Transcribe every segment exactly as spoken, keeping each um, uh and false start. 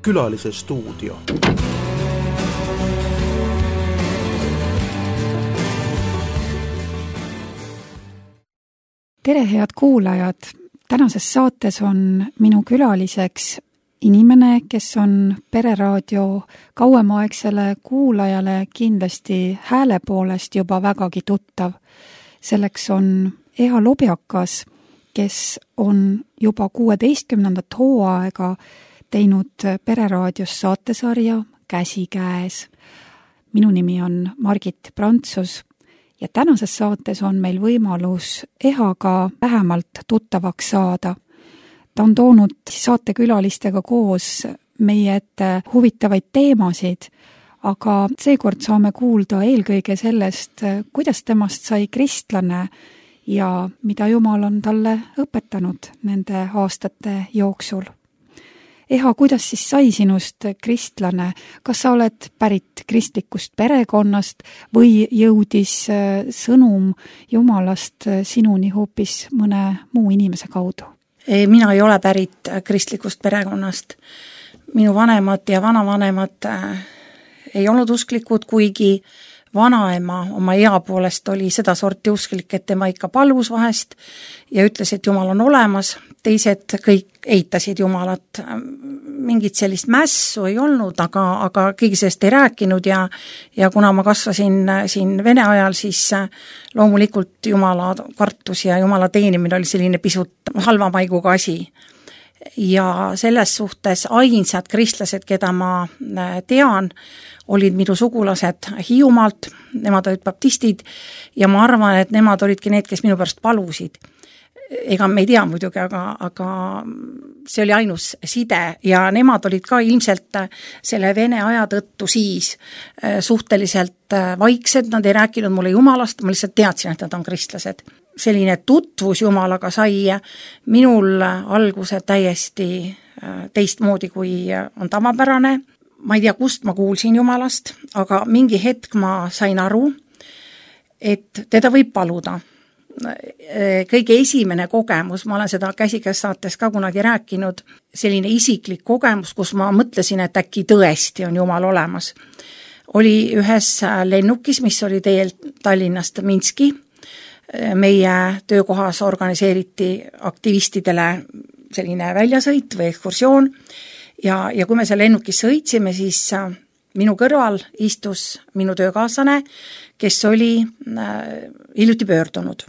Külalise stuudio. Tere, head kuulajad! Tänases saates on minu külaliseks inimene, kes on Pereraadio kauemaaegsele kuulajale kindlasti hääle poolest juba vägagi tuttav. Selleks on Eha Lobjakas, kes on juba kuueteistkümnendat hooaega teinud Pereraadios saatesarja Käsikäes. Minu nimi on Margit Prantsus ja tänases saates on meil võimalus Ehaga vähemalt tuttavaks saada. Ta on toonud saatekülalistega koos meie ette huvitavaid teemasid, aga seekord saame kuulda eelkõige sellest, kuidas temast sai kristlane ja mida Jumal on talle õpetanud nende aastate jooksul. Eha, kuidas siis sai sinust kristlane? Kas sa oled pärit kristlikust perekonnast või jõudis sõnum Jumalast sinuni hoopis mõne muu inimese kaudu? Mina ei ole pärit kristlikust perekonnast. Minu vanemad ja vanavanemad ei olnud usklikud, kuigi vanaema oma ea poolest oli seda sorti usklik, et tema ikka palvus vahest ja ütles, et Jumal on olemas. Teised kõik eitasid Jumalat. Mingit sellist mässu ei olnud, aga, aga keegi sellest ei rääkinud ja, ja kuna ma kasvasin siin Vene ajal, siis loomulikult Jumala kartus ja Jumala teenimine oli selline pisut halva maiguga asi. Ja selles suhtes ainsad kristlased, keda ma tean, olid minu sugulased Hiiumaalt, nemad olid baptistid ja ma arvan, et nemad olidki need, kes minu pärast palusid. Ega me ei tea muidugi, aga, aga see oli ainus side ja nemad olid ka ilmselt selle Vene aja tõttu siis suhteliselt vaiksed, nad ei rääkinud mulle Jumalast, ma lihtsalt teadsin, et nad on kristlased. Selline tutvus Jumalaga sai minul alguse täiesti teistmoodi, kui on tavapärane. Ma ei tea, kust ma kuulsin Jumalast, aga mingi hetk ma sain aru, et teda võib paluda. Kõige esimene kogemus, ma olen seda Käsikäes saates ka kunagi rääkinud, selline isiklik kogemus, kus ma mõtlesin, et äkki tõesti on Jumal olemas, oli ühes lennukis, mis oli teel Tallinnast Minski. Meie töökohas organiseeriti aktivistidele selline väljasõit või ekskursioon ja, ja kui me seal lennukis sõitsime, siis minu kõrval istus minu töökaaslane, kes oli hiljuti pöördunud.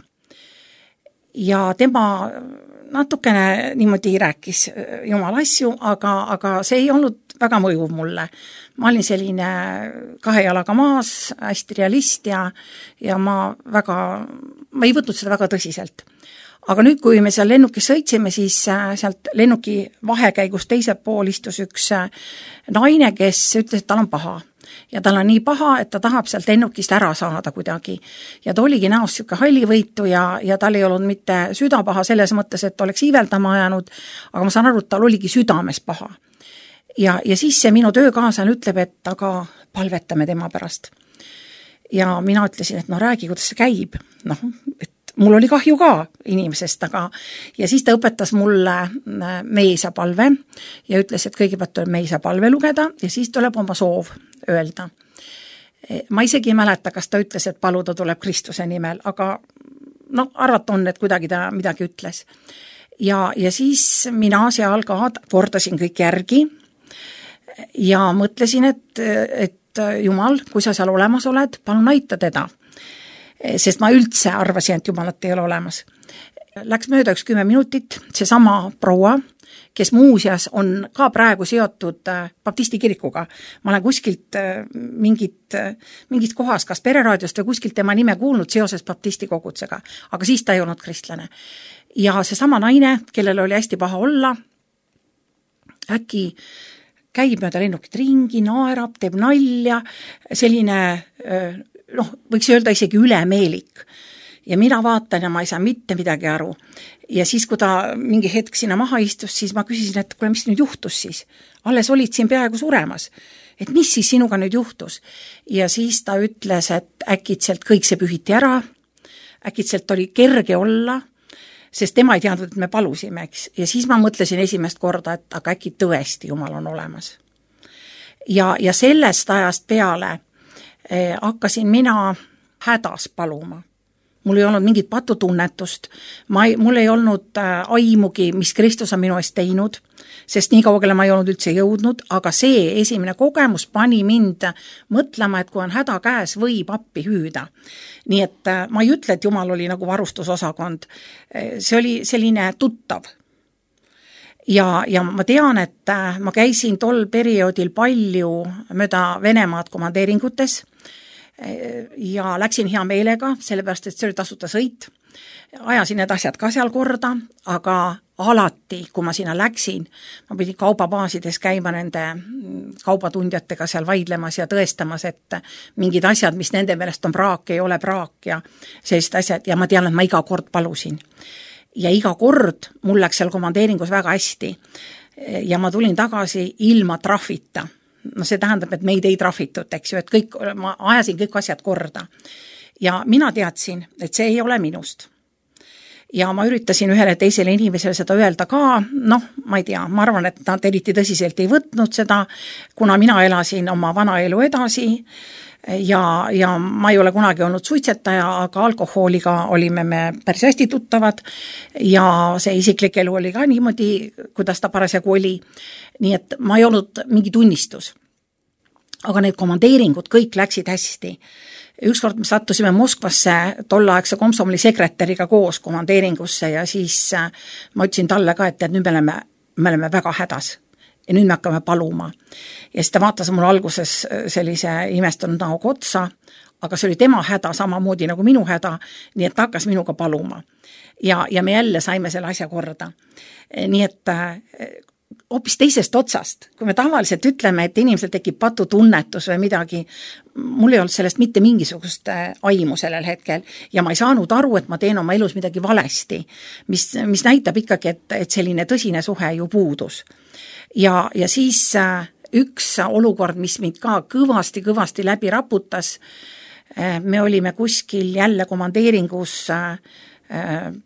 Ja tema natukene niimoodi rääkis Jumala asju, aga, aga see ei olnud väga mõjuv mulle. Ma olin selline kahe jalaga maas, hästi realist ja, ja ma, väga, ma ei võtnud seda väga tõsiselt. Aga nüüd, kui me seal lennukis sõitsime, siis sealt lennuki vahekäigus teise pool istus üks naine, kes ütles, et tal on paha. Ja tal on nii paha, et ta tahab sealt lennukist ära saada kuidagi. Ja ta oligi näost siuke hallivõitu ja, ja tal ei olnud mitte südapaha selles mõttes, et oleks iiveldama ajanud, aga ma saan aru, et tal oligi südames paha. Ja, ja siis see minu töökaaslane ütleb, et aga palvetame tema pärast. Ja mina ütlesin, et no räägi, kuidas see käib. Noh, et mul oli kahju ka inimesest, aga ja siis ta õpetas mulle meisa palve ja ütles, et kõigepealt tuleb meisa palve lugeda ja siis tuleb oma soov öelda. Ma isegi ei mäleta, kas ta ütles, et paluda tuleb Kristuse nimel, aga no, arvata on, et kuidagi ta midagi ütles. Ja, ja siis mina seal ka kordasin kõik järgi ja mõtlesin, et, et Jumal, kui sa seal olemas oled, palun aita teda. Sest ma üldse arvasin, et Jumalat ei ole olemas. Läks mööda üks kümme minutit, see sama proua, kes muuseas on ka praegu seotud baptisti kirikuga. Ma olen kuskilt mingit, mingit kohas, kas Pereraadiost või kuskilt tema nime kuulnud seoses baptisti kogutsega, aga siis ta ei olnud kristlane. Ja see sama naine, kellel oli hästi paha olla, äkki käib mööda lennukit ringi, naerab, teeb nalja, selline noh, võiks öelda isegi ülemeelik. Ja mina vaatan ja ma ei saa mitte midagi aru. Ja siis, kui ta mingi hetk sinna maha istus, siis ma küsisin, et kuule, mis nüüd juhtus siis? Alles olid siin peaaegu suremas. Et mis siis sinuga nüüd juhtus? Ja siis ta ütles, et äkitselt kõik see pühiti ära, äkitselt oli kerge olla, sest tema ei teadnud, et me palusime, eks. Ja siis ma mõtlesin esimest korda, et aga äkki tõesti Jumal on olemas. Ja, ja sellest ajast peale eh, hakkasin mina hädas paluma. Mul ei olnud mingit patutunnetust, ma ei, mul ei olnud äh, aimugi, mis Kristus on minu eest teinud, sest nii kaugele ma ei olnud üldse jõudnud, aga see esimene kogemus pani mind mõtlema, et kui on häda käes, võib appi hüüda. Nii et äh, ma ei ütle, et Jumal oli nagu varustusosakond, see oli selline tuttav. Ja, ja ma tean, et äh, ma käisin tol perioodil palju mööda Venemaad komandeeringutes, ja läksin hea meelega, sellepärast, et see oli tasuta sõit. Ajasin need asjad ka seal korda, aga alati, kui ma sinna läksin, ma pidin kaubabaasides käima nende kaubatundjatega seal vaidlemas ja tõestamas, et mingid asjad, mis nende meelest on praak, ei ole praak ja sellised asjad. Ja ma tean, et ma iga kord palusin. Ja iga kord mul läks seal komandeeringus väga hästi. Ja ma tulin tagasi ilma trahvita. No see tähendab, et meid ei trahvitud, eks ju, et kõik, ma ajasin kõik asjad korda. Ja mina teadsin, et see ei ole minust. Ja ma üritasin ühele teisele inimesele seda öelda ka, noh, ma ei tea, ma arvan, et nad eriti tõsiselt ei võtnud seda, kuna mina elasin oma vana elu edasi ja, ja ma ei ole kunagi olnud suitsetaja, aga alkohooliga olime me päris hästi tuttavad ja see isiklik elu oli ka niimoodi, kuidas ta parasjagu oli. Nii et ma ei olnud mingi tunnistus. Aga need komandeeringud kõik läksid hästi. Ükskord me sattusime Moskvasse tollaegse komsomoli sekretäriga koos komandeeringusse ja siis ma ütlesin talle ka, et nüüd me oleme, me oleme väga hädas. Ja nüüd me hakkame paluma. Ja siis ta vaatas mul alguses sellise imestunud näoga otsa, aga see oli tema häda samamoodi nagu minu häda, nii et ta hakkas minuga paluma. Ja, ja me jälle saime selle asja korda. Nii et hoopis teisest otsast, kui me tavaliselt ütleme, et inimesel tekib patutunnetus või midagi, mul ei olnud sellest mitte mingisugust aimu sellel hetkel ja ma ei saanud aru, et ma teen oma elus midagi valesti, mis, mis näitab ikkagi, et, et selline tõsine suhe ju puudus. Ja, ja siis üks olukord, mis mind ka kõvasti-kõvasti läbi raputas, me olime kuskil jälle komandeeringus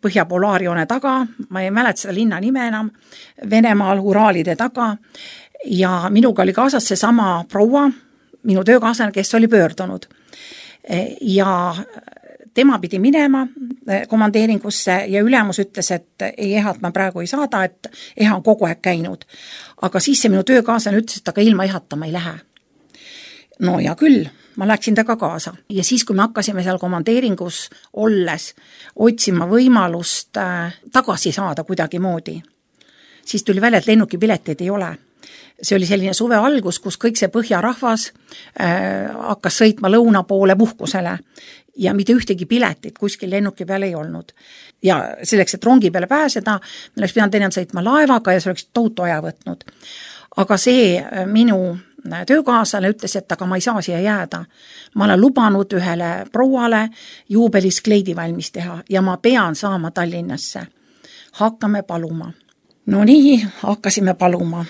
Põhja Polaarjoone taga, ma ei mäleta seda linna nime enam, Venemaal Uraalide taga ja minuga oli kaasas see sama proua, minu töökaaslane, kes oli pöördunud. Ja tema pidi minema komandeeringusse ja ülemus ütles, et ei ehat ma praegu ei saada, et eha on kogu aeg käinud. Aga siis see minu töökaaslane ütles, et aga ilma ehata ma ei lähe. No ja küll, ma läksin taga kaasa. Ja siis, kui me hakkasime seal komandeeringus olles otsima võimalust äh, tagasi saada kuidagi moodi, siis tuli välja, et lennukipileteid ei ole. See oli selline suve algus, kus kõik see põhjarahvas äh, hakkas sõitma lõuna poole puhkusele ja mitte ühtegi piletit kuskil lennuki peal ei olnud. Ja selleks, et rongi peale pääseda, me oleks pidanud enne sõitma laevaga ja see oleks tohutu aja võtnud. Aga see minu töökaaslane ütles, et aga ma ei saa siia jääda. Ma olen lubanud ühele prouale juubelis kleidi valmis teha ja ma pean saama Tallinnasse. Hakkame paluma. No nii, hakkasime paluma.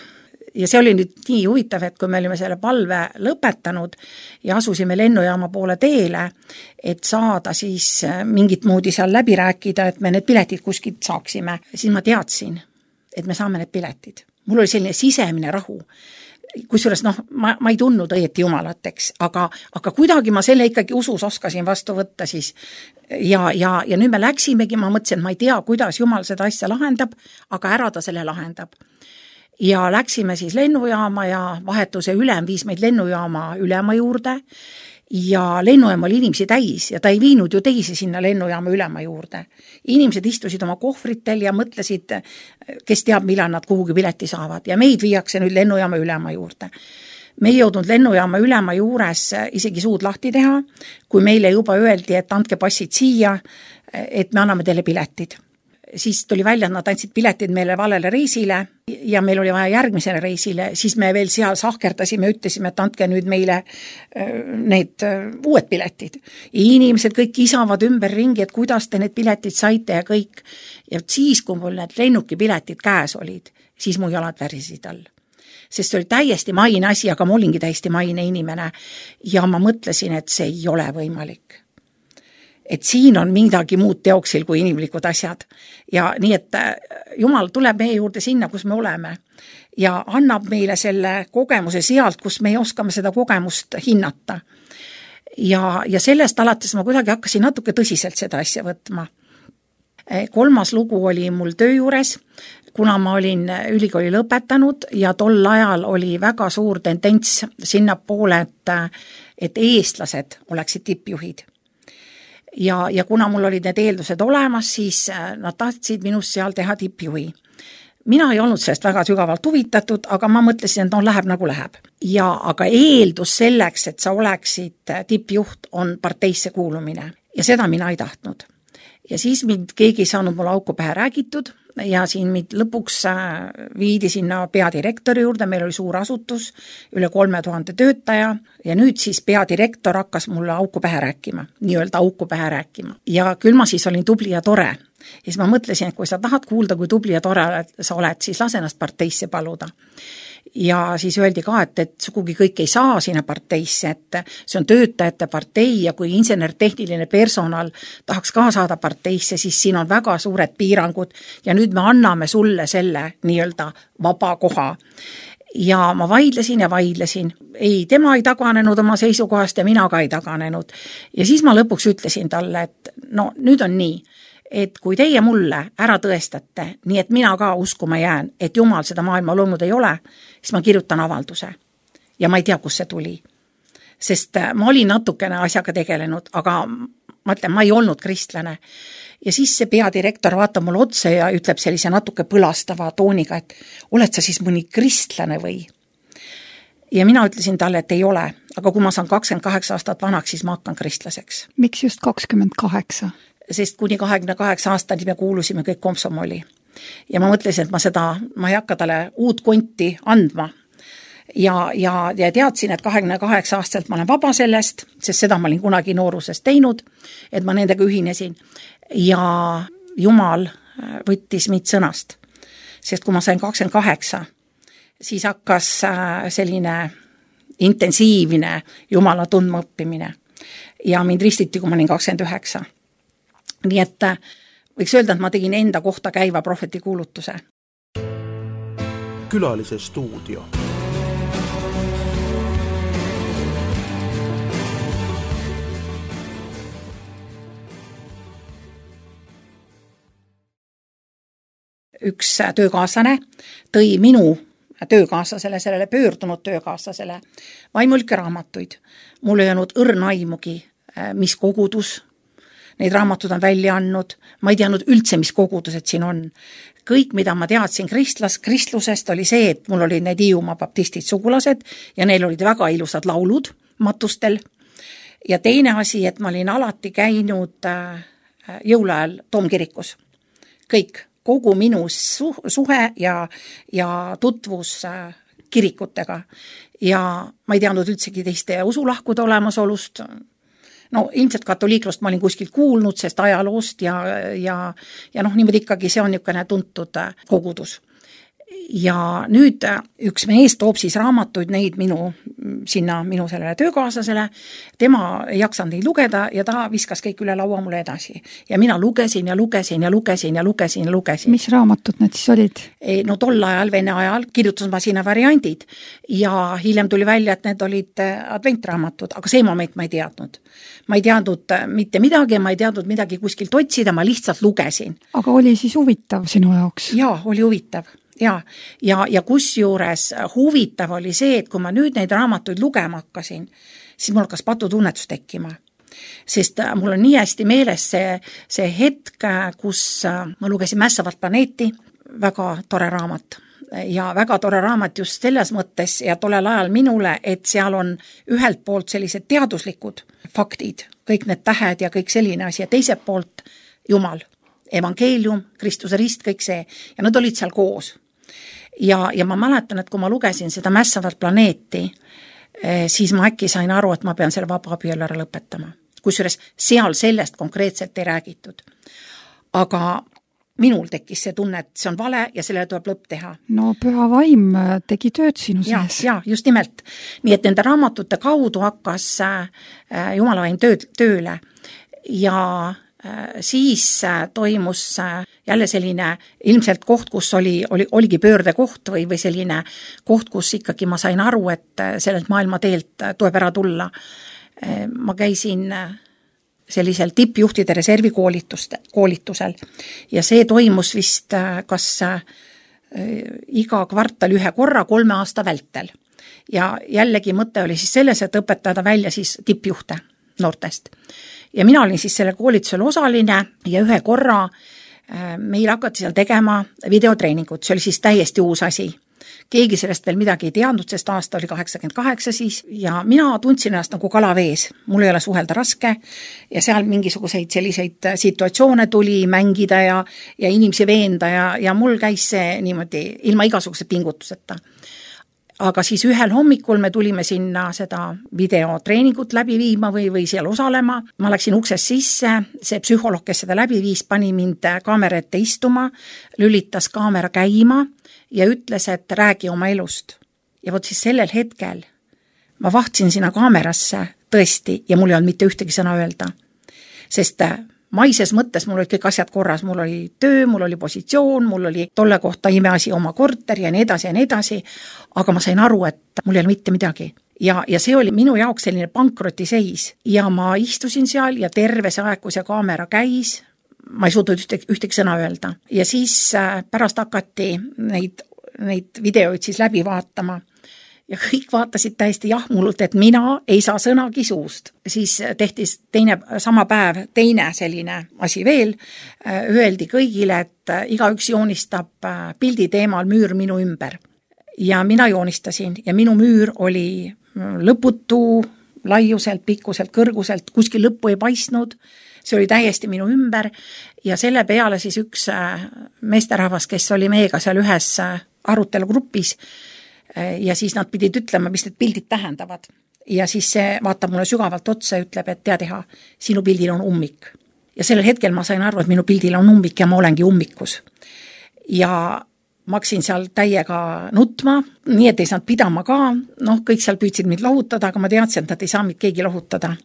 Ja see oli nüüd nii huvitav, et kui me olime selle palve lõpetanud ja asusime lennujaama poole teele, et saada siis mingit moodi seal läbi rääkida, et me need piletid kuskilt saaksime, siis ma teadsin, et me saame need piletid. Mul oli selline sisemine rahu. Kusjuures noh, ma, ma ei tundnud õieti jumalateks, aga, aga kuidagi ma selle ikkagi usus oskasin vastu võtta siis. Ja, ja, ja nüüd me läksimegi, ma mõtlesin, et ma ei tea, kuidas Jumal seda asja lahendab, aga ära ta selle lahendab. Ja läksime siis lennujaama ja vahetuse ülem viis meid lennujaama ülema juurde ja lennujaam oli inimesi täis ja ta ei viinud ju teisi sinna lennujaama ülema juurde. Inimesed istusid oma kohvritel ja mõtlesid, kes teab, millal nad kuhugi pileti saavad ja meid viiakse nüüd lennujaama ülema juurde. Me ei jõudnud lennujaama ülema juures isegi suud lahti teha, kui meile juba öeldi, et andke passid siia, et me anname teile piletid. Siis tuli välja, et nad andsid piletid meile valele reisile ja meil oli vaja järgmisele reisile, siis me veel seal sahkerdasime, ütlesime, et andke nüüd meile need uued piletid. Inimesed kõik isavad ümber ringi, et kuidas te need piletid saite ja kõik. Ja siis, kui mul need lennukipiletid käes olid, siis mu jalad värisid all. Sest see oli täiesti maine asi, aga ma olingi täiesti maine inimene ja ma mõtlesin, et see ei ole võimalik. et siin on midagi muud teoksil kui inimlikud asjad. Ja nii, et Jumal tuleb meie juurde sinna, kus me oleme ja annab meile selle kogemuse sealt, kus me ei oskame seda kogemust hinnata. Ja, ja sellest alates ma kuidagi hakkasin natuke tõsiselt seda asja võtma. Kolmas lugu oli mul töö juures, kuna ma olin ülikooli lõpetanud ja tol ajal oli väga suur tendents sinna poole, et, et eestlased oleksid tippjuhid. Ja, ja kuna mul olid need eeldused olemas, siis nad tahtsid minust seal teha tippjuhi. Mina ei olnud sellest väga sügavalt huvitatud, aga ma mõtlesin, et no läheb nagu läheb. Ja aga eeldus selleks, et sa oleksid tippjuht, on parteisse kuulumine. Ja seda mina ei tahtnud. Ja siis mind keegi ei saanud mulle auku pähe räägitud ja siin mind lõpuks viidi sinna peadirektori juurde, meil oli suur asutus, üle kolme tuhande töötaja ja nüüd siis peadirektor hakkas mulle auku pähe rääkima, nii-öelda auku pähe rääkima. Ja küll ma siis olin tubli ja tore. Ja siis ma mõtlesin, et kui sa tahad kuulda, kui tubli ja tore sa oled, siis lase ennast parteisse paluda. Ja siis öeldi ka, et, et sugugi kõik ei saa sinna parteisse, et see on töötajate partei ja kui insener-tehniline personal tahaks ka saada parteisse, siis siin on väga suured piirangud ja nüüd me anname sulle selle nii-öelda vaba koha. Ja ma vaidlesin ja vaidlesin. Ei, tema ei taganenud oma seisukohast ja mina ka ei taganenud. Ja siis ma lõpuks ütlesin talle, et no nüüd on nii, et kui teie mulle ära tõestate, nii et mina ka uskuma jään, et Jumal seda maailma loonud ei ole, siis ma kirjutan avalduse. Ja ma ei tea, kus see tuli. Sest ma olin natukene asjaga tegelenud, aga ma ütlen, ma ei olnud kristlane. Ja siis see peadirektor vaatab mulle otse ja ütleb sellise natuke põlastava tooniga, et oled sa siis mõni kristlane või? Ja mina ütlesin talle, et ei ole, aga kui ma saan kakskümmend kaheksa aastat vanaks, siis ma hakkan kristlaseks. Miks just kakskümmend kaheksa? Sest kuni kahekümne kaheksa aastani me kuulusime kõik komsomoli. Ja ma mõtlesin, et ma seda, ma ei hakka talle uut konti andma. Ja, ja, ja teadsin, et kahekümne kaheksa aastaselt ma olen vaba sellest, sest seda ma olin kunagi noorusest teinud, et ma nendega ühinesin. Ja Jumal võttis mind sõnast. Sest kui ma sain kakskümmend kaheksa, siis hakkas selline intensiivne Jumala tundma õppimine. Ja mind ristiti, kui ma olin kakskümmend üheksa. Nii et võiks öelda, et ma tegin enda kohta käiva prohveti kuulutuse. Külalise stuudio. Üks töökaaslane tõi minu töökaaslasele, sellele pöördunud töökaaslasele vaimulike raamatuid. Mul ei olnud õrna aimugi, mis kogudus neid raamatud on välja andnud, ma ei teadnud üldse, mis kogudused siin on. Kõik, mida ma teadsin kristlas, kristlusest, oli see, et mul olid need Hiiumaa baptistid sugulased ja neil olid väga ilusad laulud matustel. Ja teine asi, et ma olin alati käinud jõuluajal Toomkirikus. Kõik, kogu minu suhe ja, ja tutvus kirikutega. Ja ma ei teadnud üldsegi teiste usulahkude olemasolust. No ilmselt katoliiklust ma olin kuskilt kuulnud, sest ajaloost ja, ja, ja noh, niimoodi ikkagi see on niisugune tuntud kogudus. Ja nüüd üks mees toob siis raamatuid neid minu, sinna minu sellele töökaaslasele, tema ei jaksanud neid lugeda ja ta viskas kõik üle laua mulle edasi. Ja mina lugesin ja lugesin ja lugesin ja lugesin ja lugesin. Mis raamatud need siis olid? No tol ajal, vene ajal, kirjutas ma sinna variandid ja hiljem tuli välja, et need olid adventraamatud, aga see moment ma ei teadnud. Ma ei teadnud mitte midagi, ma ei teadnud midagi kuskilt otsida, ma lihtsalt lugesin. Aga oli siis huvitav sinu jaoks? Jaa, oli huvitav. Ja, ja, ja kus juures huvitav oli see, et kui ma nüüd neid raamatuid lugema hakkasin, siis mul hakkas patutunnetus tekkima. Sest mul on nii hästi meeles see, see hetk, kus ma lugesin Mässavat planeeti, väga tore raamat. Ja väga tore raamat just selles mõttes ja tollel ajal minule, et seal on ühelt poolt sellised teaduslikud faktid, kõik need tähed ja kõik selline asi ja teiselt poolt Jumal, evangeelium, Kristuse rist, kõik see ja nad olid seal koos. Ja, ja ma mäletan, et kui ma lugesin seda Mässavat planeeti, siis ma äkki sain aru, et ma pean selle vaba abielu ära lõpetama. Kusjuures seal sellest konkreetselt ei räägitud. Aga minul tekkis see tunne, et see on vale ja sellele tuleb lõpp teha. No püha vaim tegi tööd sinu sees. Ja, ja, just nimelt. Nii et nende raamatute kaudu hakkas Jumala vaim tööd, tööle. ja siis toimus jälle selline ilmselt koht, kus oli, oli, oligi pöördekoht või, või selline koht, kus ikkagi ma sain aru, et sellelt maailma teelt tuleb ära tulla. Ma käisin sellisel tippjuhtide reservi koolitusel ja see toimus vist kas iga kvartal ühe korra kolme aasta vältel. Ja jällegi mõte oli siis selles, et õpetada välja siis tippjuhte noortest. Ja mina olin siis selle koolitusel osaline ja ühe korra meil hakati seal tegema videotreeningut, see oli siis täiesti uus asi. Keegi sellest veel midagi ei teadnud, sest aasta oli kaheksakümmend kaheksa siis ja mina tundsin ennast nagu kalavees, mul ei ole suhelda raske ja seal mingisuguseid selliseid situatsioone tuli mängida ja, ja inimesi veenda ja, ja mul käis see niimoodi ilma igasuguse pingutuseta. Aga siis ühel hommikul me tulime sinna seda videotreeningut läbi viima või, või seal osalema. Ma läksin uksest sisse, see psühholoog, kes seda läbi viis, pani mind kaamera ette istuma, lülitas kaamera käima ja ütles, et räägi oma elust. Ja võt siis sellel hetkel ma vahtsin sinna kaamerasse tõesti ja mul ei olnud mitte ühtegi sõna öelda. Sest maises mõttes mul olid kõik asjad korras, mul oli töö, mul oli positsioon, mul oli tolle kohta imeasi oma korter ja nii edasi ja nii edasi, aga ma sain aru, et mul ei ole mitte midagi. Ja, ja see oli minu jaoks selline pankrotiseis ja ma istusin seal ja terve see aeg, kui see kaamera käis, ma ei suutnud ühtegi, ühtegi sõna öelda. Ja siis pärast hakati neid, neid videoid siis läbi vaatama. Ja kõik vaatasid täiesti jahmulult, et mina ei saa sõnagi suust. Siis tehti teine, sama päev teine selline asi veel. Öeldi kõigile, et igaüks joonistab pildi teemal müür minu ümber. Ja mina joonistasin ja minu müür oli lõputu, laiuselt, pikkuselt, kõrguselt, kuskil lõppu ei paistnud. See oli täiesti minu ümber ja selle peale siis üks meesterahvas, kes oli meiega seal ühes arutelugrupis, ja siis nad pidid ütlema, mis need pildid tähendavad. Ja siis see vaatab mulle sügavalt otsa ja ütleb, et tea teha, sinu pildil on ummik. Ja sellel hetkel ma sain aru, et minu pildil on ummik ja ma olengi ummikus. Ja ma hakkasin seal täiega nutma, nii et ei saanud pidama ka, noh, kõik seal püüdsid mind lohutada, aga ma teadsin, et nad ei saa mind keegi lohutada.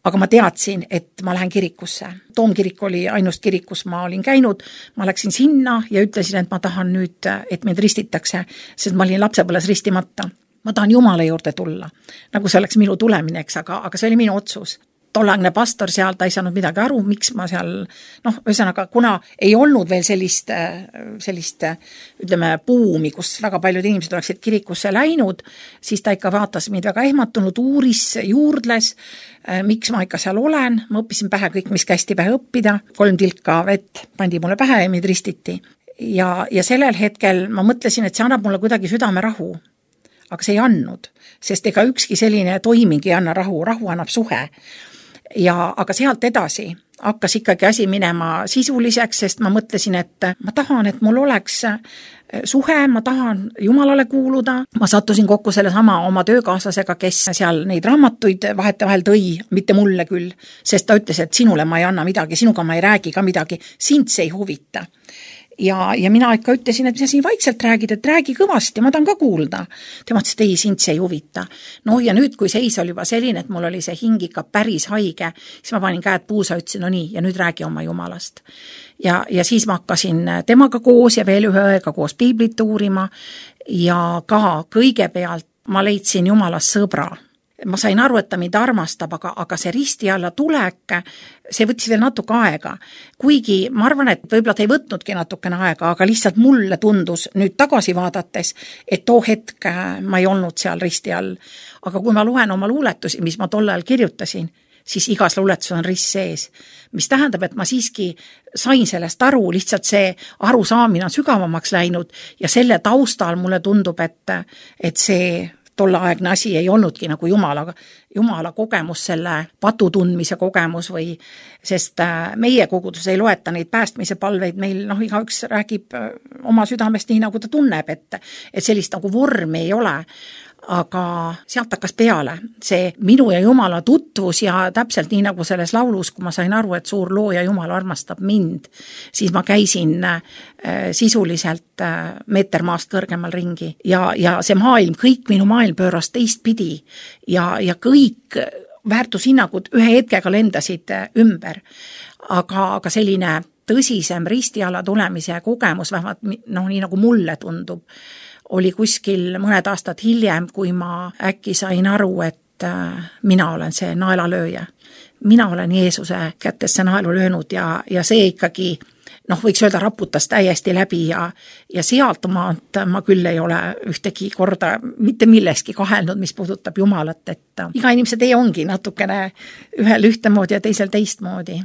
Aga ma teadsin, et ma lähen kirikusse. Toomkirik oli ainust kirik, kus ma olin käinud. Ma läksin sinna ja ütlesin, et ma tahan nüüd, et mind ristitakse, sest ma olin lapsepõles ristimata. Ma tahan Jumala juurde tulla. Nagu see oleks minu tulemineks, aga, aga see oli minu otsus. Tollagne pastor seal, ta ei saanud midagi aru, miks ma seal, noh, ühesõnaga, kuna ei olnud veel sellist, sellist, ütleme, buumi, kus väga paljud inimesed oleksid kirikusse läinud, siis ta ikka vaatas mind väga ehmatunud, uuris, juurdles, miks ma ikka seal olen, ma õppisin pähe kõik, mis kästi pähe õppida, kolm tilka vett pandi mulle pähe ja mind ristiti. Ja, ja sellel hetkel ma mõtlesin, et see annab mulle kuidagi südame rahu, aga see ei andnud, sest ega ükski selline toiming ei anna rahu, rahu annab suhe. Ja, aga sealt edasi hakkas ikkagi asi minema sisuliseks, sest ma mõtlesin, et ma tahan, et mul oleks suhe, ma tahan Jumalale kuuluda. Ma sattusin kokku selle sama oma töökaaslasega, kes seal neid raamatuid vahetevahel tõi, mitte mulle küll, sest ta ütles, et sinule ma ei anna midagi, sinuga ma ei räägi ka midagi, sind see ei huvita. Ja, ja mina ikka ütlesin, et mis siin vaikselt räägid, et räägi kõvasti, ma tahan ka kuulda. Tema ütles, et ei, sind see ei huvita. No ja nüüd, kui seis oli juba selline, et mul oli see hing ikka päris haige, siis ma panin käed puusa, ütlesin, no nii, ja nüüd räägi oma Jumalast. Ja, ja siis ma hakkasin temaga koos ja veel ühe õega koos piiblit uurima ja ka kõigepealt ma leidsin Jumalast sõbra. Ma sain aru, et ta mind armastab, aga, aga see risti alla tulek, see võttis veel natuke aega. Kuigi ma arvan, et võib-olla ta ei võtnudki natukene aega, aga lihtsalt mulle tundus nüüd tagasi vaadates, et too hetk ma ei olnud seal risti all. Aga kui ma luen oma luuletusi, mis ma tol ajal kirjutasin, siis igas luuletus on rist sees. Mis tähendab, et ma siiski sain sellest aru, lihtsalt see arusaamine on sügavamaks läinud ja selle taustal mulle tundub, et, et see tollaegne asi ei olnudki nagu Jumala, Jumala kogemus, selle patu tundmise kogemus või, sest meie kogudus ei loeta neid päästmise palveid, meil noh, igaüks räägib oma südamest nii, nagu ta tunneb, et, et sellist nagu vormi ei ole. Aga sealt hakkas peale see minu ja Jumala tutvus ja täpselt nii nagu selles laulus, kui ma sain aru, et suur looja Jumal armastab mind, siis ma käisin äh, sisuliselt äh, meeter maast kõrgemal ringi ja, ja see maailm, kõik minu maailm pööras teistpidi ja, ja kõik väärtushinnangud ühe hetkega lendasid ümber, aga, aga selline tõsisem ristiala tulemise kogemus, vähemalt noh, nii nagu mulle tundub, oli kuskil mõned aastad hiljem, kui ma äkki sain aru, et mina olen see naelalööja. Mina olen Jeesuse kätesse naelu löönud ja, ja see ikkagi, noh, võiks öelda, raputas täiesti läbi ja, ja sealt maalt ma küll ei ole ühtegi korda mitte milleski kahelnud, mis puudutab Jumalat, et iga inimese tee ongi natukene ühel ühtemoodi ja teisel teistmoodi.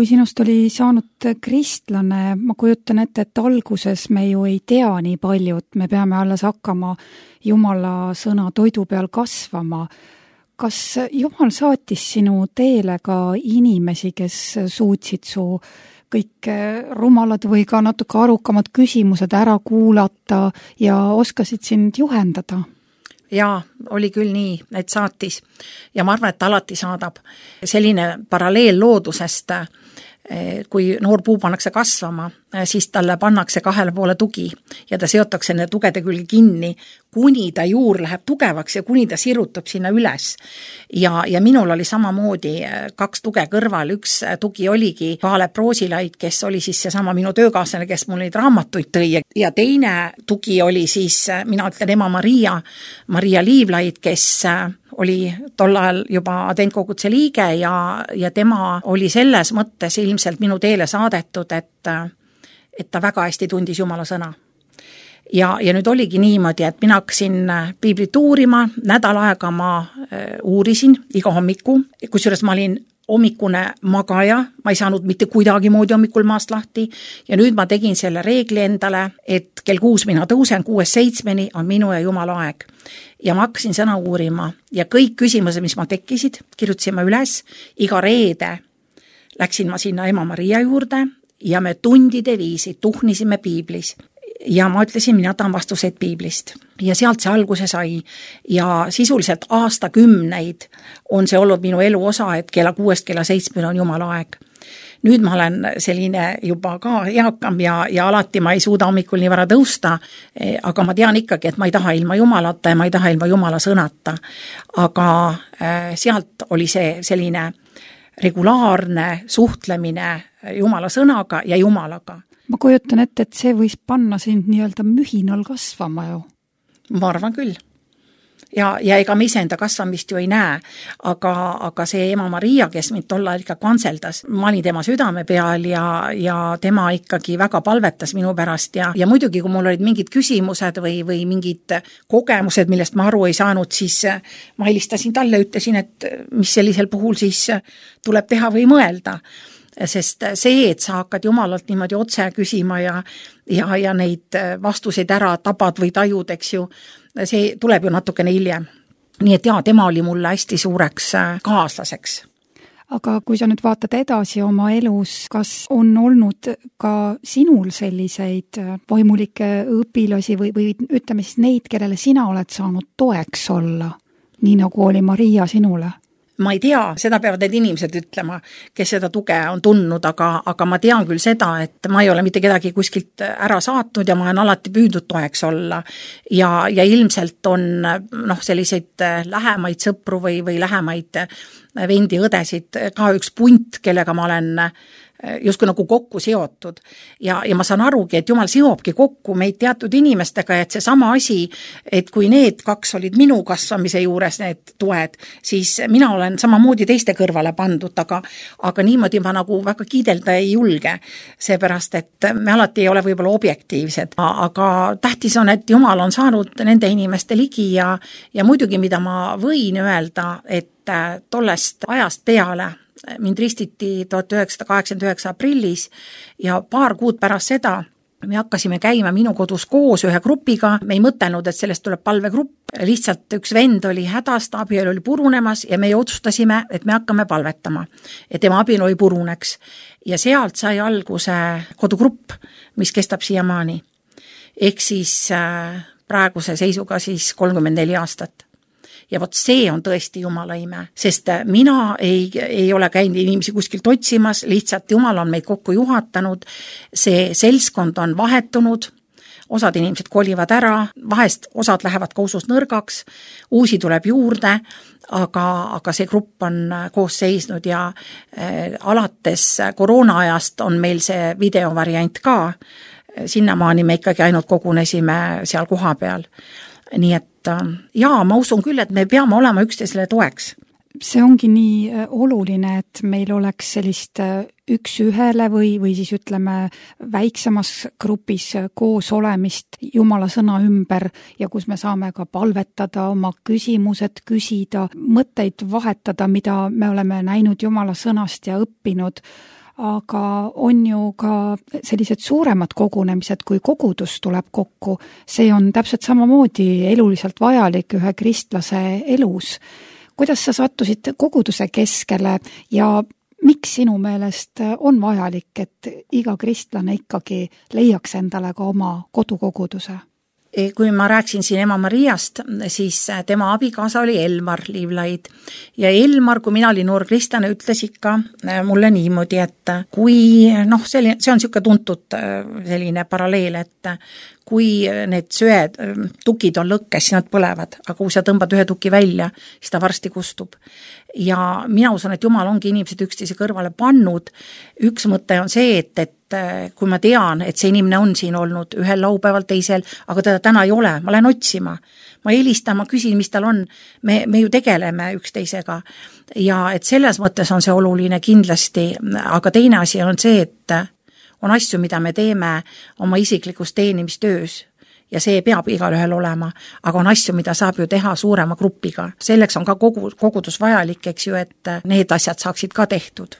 Kui sinust oli saanud kristlane, ma kujutan ette, et alguses me ju ei tea nii palju, et me peame alles hakkama Jumala sõna toidu peal kasvama. Kas Jumal saatis sinu teele ka inimesi, kes suutsid su kõik rumalad või ka natuke arukamad küsimused ära kuulata ja oskasid sind juhendada? Jaa, oli küll nii, et saatis ja ma arvan, et alati saadab. Selline paralleel loodusest, kui noor puu pannakse kasvama, siis talle pannakse kahele poole tugi ja ta seotakse nende tugede külge kinni, kuni ta juur läheb tugevaks ja kuni ta sirutab sinna üles. Ja, ja minul oli samamoodi kaks tuge kõrval, üks tugi oligi Kaalep Roosilaid, kes oli siis seesama minu töökaaslane, kes mul neid raamatuid tõi ja teine tugi oli siis, mina ütlen ema Maria, Maria Liivlaid, kes oli tol ajal juba adventkoguduse liige ja, ja tema oli selles mõttes ilmselt minu teele saadetud, et et ta väga hästi tundis Jumala sõna. Ja, ja nüüd oligi niimoodi, et mina hakkasin piiblit uurima, nädal aega ma uurisin iga hommiku, kusjuures ma olin hommikune magaja, ma ei saanud mitte kuidagi moodi hommikul maast lahti ja nüüd ma tegin selle reegli endale, et kell kuus mina tõusen, kuues seitsmeni on minu ja Jumala aeg. Ja ma hakkasin sõna uurima ja kõik küsimused, mis ma tekkisid, kirjutasin ma üles, iga reede läksin ma sinna ema Maria juurde ja me tundide viisi tuhnisime piiblis. ja ma ütlesin, mina tahan vastuseid piiblist. Ja sealt see alguse sai ja sisuliselt aastakümneid on see olnud minu elu osa, et kella kuuest kella seitsmeni on Jumala aeg. Nüüd ma olen selline juba ka eakam ja, ja alati ma ei suuda hommikul nii vara tõusta, aga ma tean ikkagi, et ma ei taha ilma Jumalata ja ma ei taha ilma Jumala sõnata. Aga sealt oli see selline regulaarne suhtlemine Jumala sõnaga ja Jumalaga. Ma kujutan ette, et see võis panna sind nii-öelda mühinal kasvama ju. Ma arvan küll. Ja, ja ega me iseenda kasvamist ju ei näe, aga, aga see ema Maria, kes mind tolla ikka kantseldas, ma olin tema südame peal ja, ja tema ikkagi väga palvetas minu pärast ja, ja muidugi, kui mul olid mingid küsimused või, või mingid kogemused, millest ma aru ei saanud, siis ma helistasin talle, ütlesin, et mis sellisel puhul siis tuleb teha või mõelda. Sest see, et sa hakkad Jumalalt niimoodi otse küsima ja, ja, ja neid vastuseid ära tabad või tajud, eks ju, see tuleb ju natukene hiljem. Nii et jaa, tema oli mulle hästi suureks kaaslaseks. Aga kui sa nüüd vaatad edasi oma elus, kas on olnud ka sinul selliseid vaimulikke õpilasi või, või ütleme siis neid, kellele sina oled saanud toeks olla, nii nagu oli Maria sinule? Ma ei tea, seda peavad need inimesed ütlema, kes seda tuge on tundnud, aga, aga ma tean küll seda, et ma ei ole mitte kedagi kuskilt ära saatnud ja ma olen alati püüdnud toeks olla. Ja, ja ilmselt on noh, selliseid lähemaid sõpru või, või lähemaid vendi õdesid ka üks punt, kellega ma olen justkui nagu kokku seotud. Ja, ja ma saan arugi, et Jumal seobki kokku meid teatud inimestega, et see sama asi, et kui need kaks olid minu kasvamise juures, need toed, siis mina olen samamoodi teiste kõrvale pandud, aga, aga niimoodi ma nagu väga kiidelda ei julge, seepärast, et me alati ei ole võib-olla objektiivsed, aga tähtis on, et Jumal on saanud nende inimeste ligi ja, ja muidugi, mida ma võin öelda, et tollest ajast peale mind ristiti tuhat üheksasada kaheksakümmend üheksa aprillis ja paar kuud pärast seda me hakkasime käima minu kodus koos ühe grupiga, me ei mõtelnud, et sellest tuleb palvegrupp, lihtsalt üks vend oli hädast, abielu oli purunemas ja me otsustasime, et me hakkame palvetama, et tema abielu ei puruneks. Ja sealt sai alguse kodugrupp, mis kestab siiamaani. Ehk siis praeguse seisuga siis kolmkümmend neli aastat. Ja vot see on tõesti Jumala ime, sest mina ei, ei ole käinud inimesi kuskilt otsimas, lihtsalt Jumal on meid kokku juhatanud, see selskond on vahetunud, osad inimesed kolivad ära, vahest osad lähevad ka usus nõrgaks, uusi tuleb juurde, aga, aga see grupp on koos seisnud ja äh, alates koroona ajast on meil see videovariant ka, sinnamaani me ikkagi ainult kogunesime seal koha peal. Nii et jaa, ma usun küll, et me peame olema üksteisele toeks. See ongi nii oluline, et meil oleks sellist üks ühele või, või siis ütleme väiksemas grupis koos olemist Jumala sõna ümber ja kus me saame ka palvetada, oma küsimused küsida, mõtteid vahetada, mida me oleme näinud Jumala sõnast ja õppinud. Aga on ju ka sellised suuremad kogunemised, kui kogudus tuleb kokku. See on täpselt samamoodi eluliselt vajalik ühe kristlase elus. Kuidas sa sattusid koguduse keskele ja miks sinu meelest on vajalik, et iga kristlane ikkagi leiaks endale ka oma kodukoguduse? Kui ma rääksin siin ema Mariast, siis tema abikaasa oli Elmar Liivlaid ja Elmar, kui mina olin noor kristlane, ütles ikka mulle niimoodi, et kui, noh, see on niisugune tuntud selline paralleel, et kui need söed, tukid on lõkkes, siis nad põlevad, aga kui sa tõmbad ühe tuki välja, siis ta varsti kustub. Ja mina usun, et Jumal ongi inimesed üksteise kõrvale pannud. Üks mõte on see, et, et kui ma tean, et see inimene on siin olnud ühel laupäeval teisel, aga teda täna ei ole, ma lähen otsima. Ma helistan, ma küsin, mis tal on. Me, me ju tegeleme üksteisega. Ja et selles mõttes on see oluline kindlasti, aga teine asi on see, et on asju, mida me teeme oma isiklikus teenimistöös. Ja see peab igal ühel olema, aga on asju, mida saab ju teha suurema grupiga. Selleks on ka kogu, kogudus vajalik, eks ju, et need asjad saaksid ka tehtud.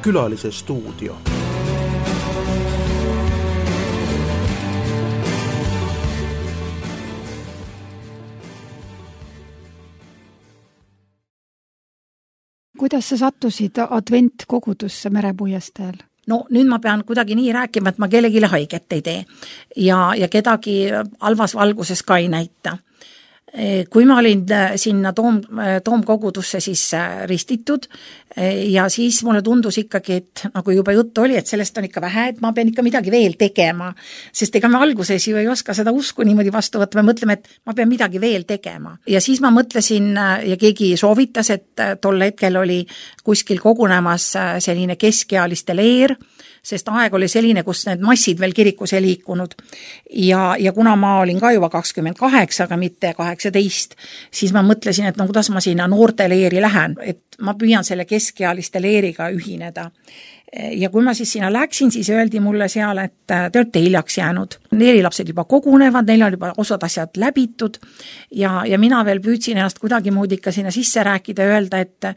Külalise stuudio. Kuidas sa sattusid adventkogudusse Merepuiesteel? no nüüd ma pean kuidagi nii rääkima, et ma kellegile haiget ei tee ja, ja kedagi halvas valguses ka ei näita. Kui ma olin sinna toom, toomkogudusse siis ristitud ja siis mulle tundus ikkagi, et nagu juba juttu oli, et sellest on ikka vähe, et ma pean ikka midagi veel tegema, sest ega me alguses ju ei oska seda usku niimoodi vastu võtta, me mõtleme, et ma pean midagi veel tegema. Ja siis ma mõtlesin ja keegi soovitas, et tol hetkel oli kuskil kogunemas selline keskealiste leer, sest aeg oli selline, kus need massid veel kirikus ei liikunud. Ja, ja kuna ma olin ka juba kakskümmend kaheksa, aga mitte kaheksateist, siis ma mõtlesin, et no kuidas ma sinna noorte leeri lähen, et ma püüan selle keskealiste leeriga ühineda. Ja kui ma siis sinna läksin, siis öeldi mulle seal, et te olete hiljaks jäänud. Leerilapsed juba kogunevad, neil on juba osad asjad läbitud ja, ja mina veel püüdsin ennast kuidagi moodi ikka sinna sisse rääkida ja öelda, et,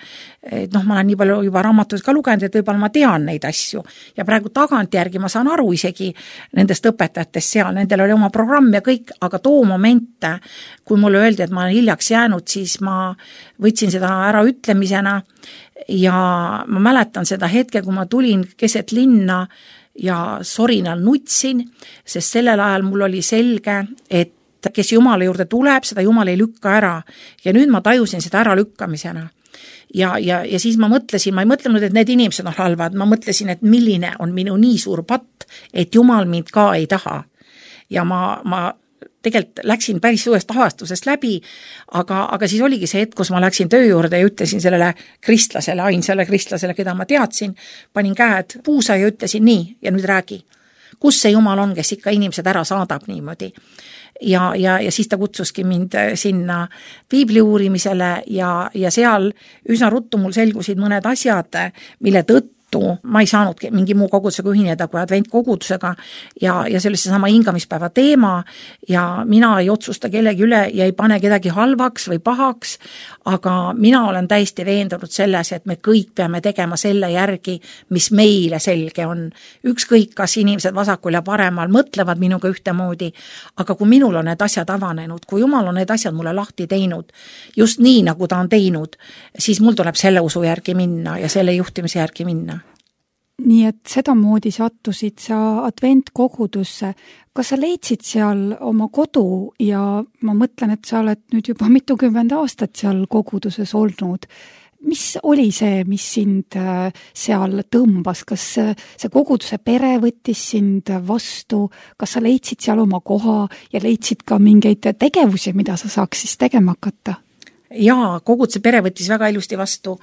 et noh, ma olen nii palju juba raamatuid ka lugenud, et võib-olla ma tean neid asju. Ja praegu tagantjärgi ma saan aru isegi nendest õpetajatest seal, nendel oli oma programm ja kõik, aga too moment, kui mulle öeldi, et ma olen hiljaks jäänud, siis ma võtsin seda ära ütlemisena ja ma mäletan seda hetke, kui ma tulin keset linna ja sorinal nutsin, sest sellel ajal mul oli selge, et kes Jumala juurde tuleb, seda Jumal ei lükka ära. Ja nüüd ma tajusin seda ära lükkamisena. Ja, ja, ja siis ma mõtlesin, ma ei mõtlenud, et need inimesed on halvad, ma mõtlesin, et milline on minu nii suur patt, et Jumal mind ka ei taha. Ja ma, ma tegelikult läksin päris suurest avastusest läbi, aga, aga siis oligi see hetk, kus ma läksin töö juurde ja ütlesin sellele kristlasele, ainsale kristlasele, keda ma teadsin, panin käed puusa ja ütlesin nii, ja nüüd räägi, kus see Jumal on, kes ikka inimesed ära saadab niimoodi. Ja, ja, ja siis ta kutsuski mind sinna piibli uurimisele ja, ja seal üsna ruttu mul selgusid mõned asjad, mille tõttu ma ei saanud mingi muu kogudusega ühineda kui adventkogudusega ja, ja see oli see sama hingamispäeva teema ja mina ei otsusta kellegi üle ja ei pane kedagi halvaks või pahaks, aga mina olen täiesti veendunud selles, et me kõik peame tegema selle järgi, mis meile selge on. Ükskõik, kas inimesed vasakul ja paremal mõtlevad minuga ühtemoodi, aga kui minul on need asjad avanenud, kui Jumal on need asjad mulle lahti teinud, just nii, nagu ta on teinud, siis mul tuleb selle usu järgi minna ja selle juhtimise järgi minna. Nii et sedamoodi sattusid sa adventkogudusse. Kas sa leidsid seal oma kodu ja ma mõtlen, et sa oled nüüd juba mitukümmend aastat seal koguduses olnud. Mis oli see, mis sind seal tõmbas? Kas see koguduse pere võttis sind vastu? Kas sa leidsid seal oma koha ja leidsid ka mingeid tegevusi, mida sa saaks siis tegema hakata? Jaa, koguduse pere võttis väga ilusti vastu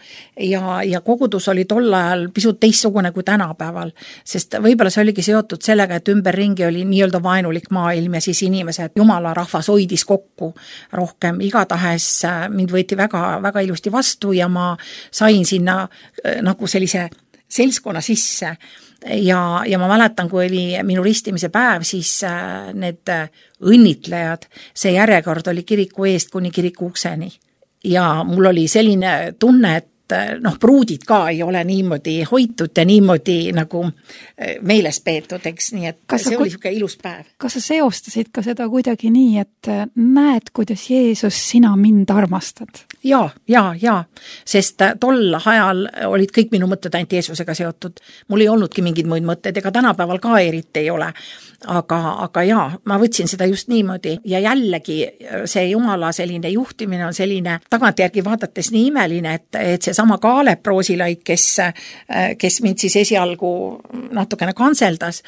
ja, ja kogudus oli tol ajal pisut teistsugune kui tänapäeval, sest võib-olla see oligi seotud sellega, et ümberringi oli nii-öelda vaenulik maailm ja siis inimesed, Jumala rahvas hoidis kokku rohkem. Igatahes mind võeti väga, väga ilusti vastu ja ma sain sinna nagu sellise selskonna sisse ja, ja ma mäletan, kui oli minu ristimise päev, siis need õnnitlejad, see järjekord oli kiriku eest kuni kiriku ukseni. Ja mul oli selline tunne, et noh, pruudid ka ei ole niimoodi hoitud ja niimoodi nagu meeles peetud, eks, nii et kas see oli niisugune ilus päev. Kas sa seostasid ka seda kuidagi nii, et näed, kuidas Jeesus sina mind armastad? Jaa, jaa, jaa, sest tol ajal olid kõik minu mõtted ainult Jeesusega seotud. Mul ei olnudki mingid muid mõtted, ega tänapäeval ka eriti ei ole. Aga, aga jaa, ma võtsin seda just niimoodi ja jällegi see Jumala selline juhtimine on selline tagantjärgi vaadates nii imeline, et, et see sama Kaalep Roosilaid, kes, kes mind siis esialgu natukene kanseldas,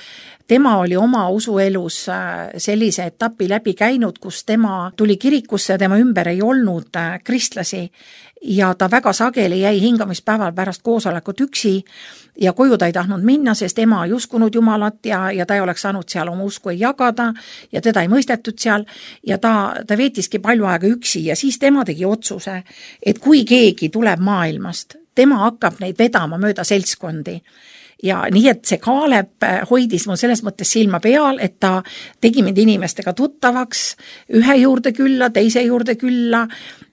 tema oli oma usuelus sellise etapi läbi käinud, kus tema tuli kirikusse ja tema ümber ei olnud kristlasi ja ta väga sageli jäi hingamispäeval pärast koosolekut üksi ja koju ta ei tahtnud minna, sest ema ei uskunud Jumalat ja, ja ta ei oleks saanud seal oma usku ei jagada ja teda ei mõistetud seal ja ta, ta veetiski palju aega üksi ja siis tema tegi otsuse, et kui keegi tuleb maailmast, tema hakkab neid vedama mööda seltskondi. Ja nii, et see Kaalep hoidis mul selles mõttes silma peal, et ta tegi mind inimestega tuttavaks, ühe juurde külla, teise juurde külla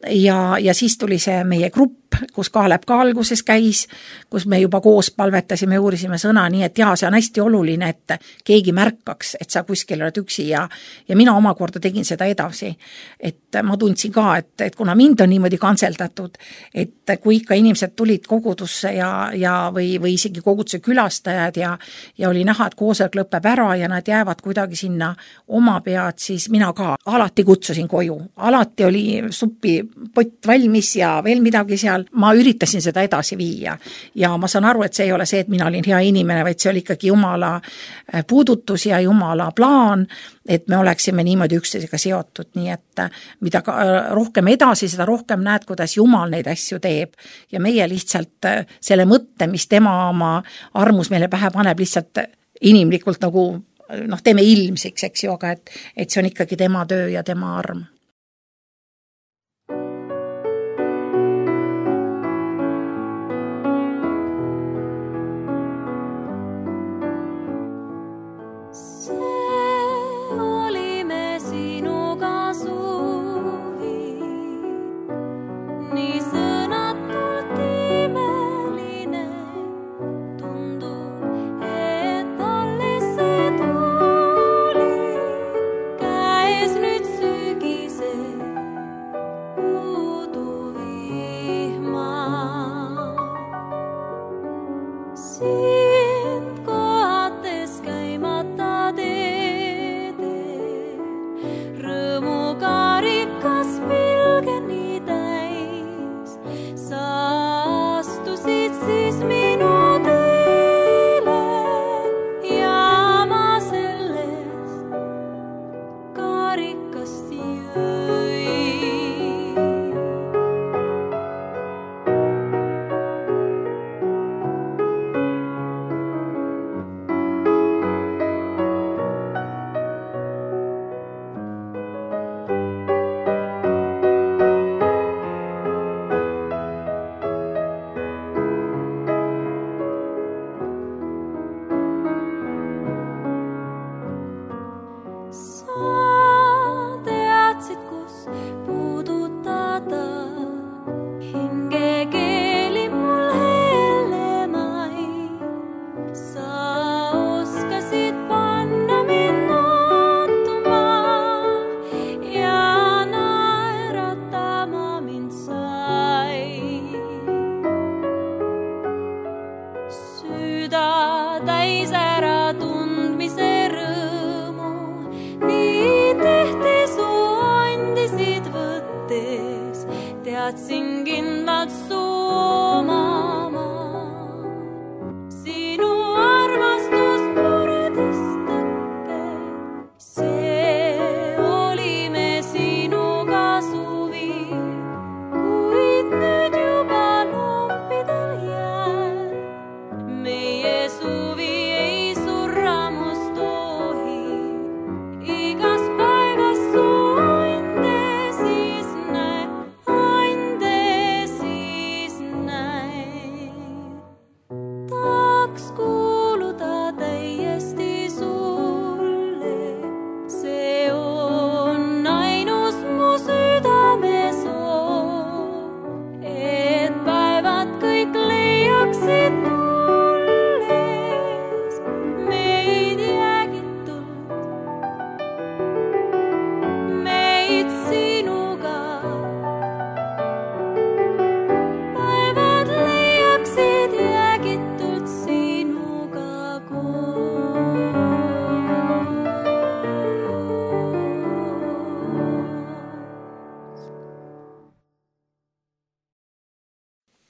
ja, ja siis tuli see meie grupp, kus Kaalep ka alguses käis, kus me juba koos palvetasime ja uurisime sõna, nii et jaa, see on hästi oluline, et keegi märkaks, et sa kuskil oled üksi ja, ja mina omakorda tegin seda edasi. Et ma tundsin ka, et, et kuna mind on niimoodi kanseldatud, et kui ikka inimesed tulid kogudusse ja, ja või, või isegi koguduse küla külastajad ja, ja oli näha, et koosolek lõpeb ära ja nad jäävad kuidagi sinna oma pead, siis mina ka alati kutsusin koju. Alati oli supipott valmis ja veel midagi seal. Ma üritasin seda edasi viia ja ma saan aru, et see ei ole see, et mina olin hea inimene, vaid see oli ikkagi Jumala puudutus ja Jumala plaan, et me oleksime niimoodi üksteisega seotud, nii et mida rohkem edasi, seda rohkem näed, kuidas Jumal neid asju teeb ja meie lihtsalt selle mõtte, mis tema oma armus meile pähe paneb, lihtsalt inimlikult nagu noh, teeme ilmsiks, eks ju, aga et, et see on ikkagi tema töö ja tema arm.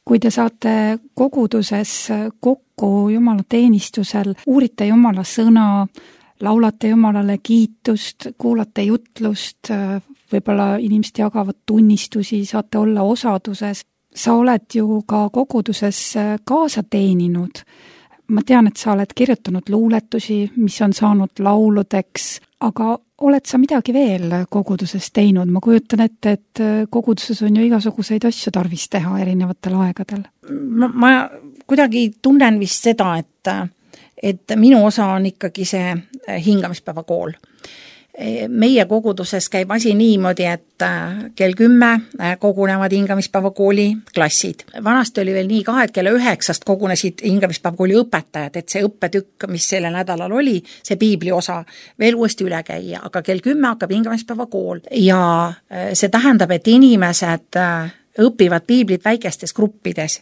Kui te saate koguduses kokku Jumala teenistusel, uurite Jumala sõna, laulate Jumalale kiitust, kuulate jutlust, võib-olla inimesed jagavad tunnistusi, saate olla osaduses. Sa oled ju ka koguduses kaasa teeninud. Ma tean, et sa oled kirjutanud luuletusi, mis on saanud lauludeks, aga oled sa midagi veel koguduses teinud? Ma kujutan ette, et koguduses on ju igasuguseid asju tarvis teha erinevatel aegadel. Ma, ma kuidagi tunnen vist seda, et, et minu osa on ikkagi see hingamispäeva kool. Meie koguduses käib asi niimoodi, et kell kümme kogunevad hingamispäeva kooli klassid. Vanasti oli veel nii ka, et kella üheksast kogunesid hingamispäeva kooli õpetajad, et see õppetükk, mis sellel nädalal oli, see piibli osa veel uuesti üle käia, aga kell kümme hakkab hingamispäeva kool ja see tähendab, et inimesed õpivad piiblit väikestes gruppides.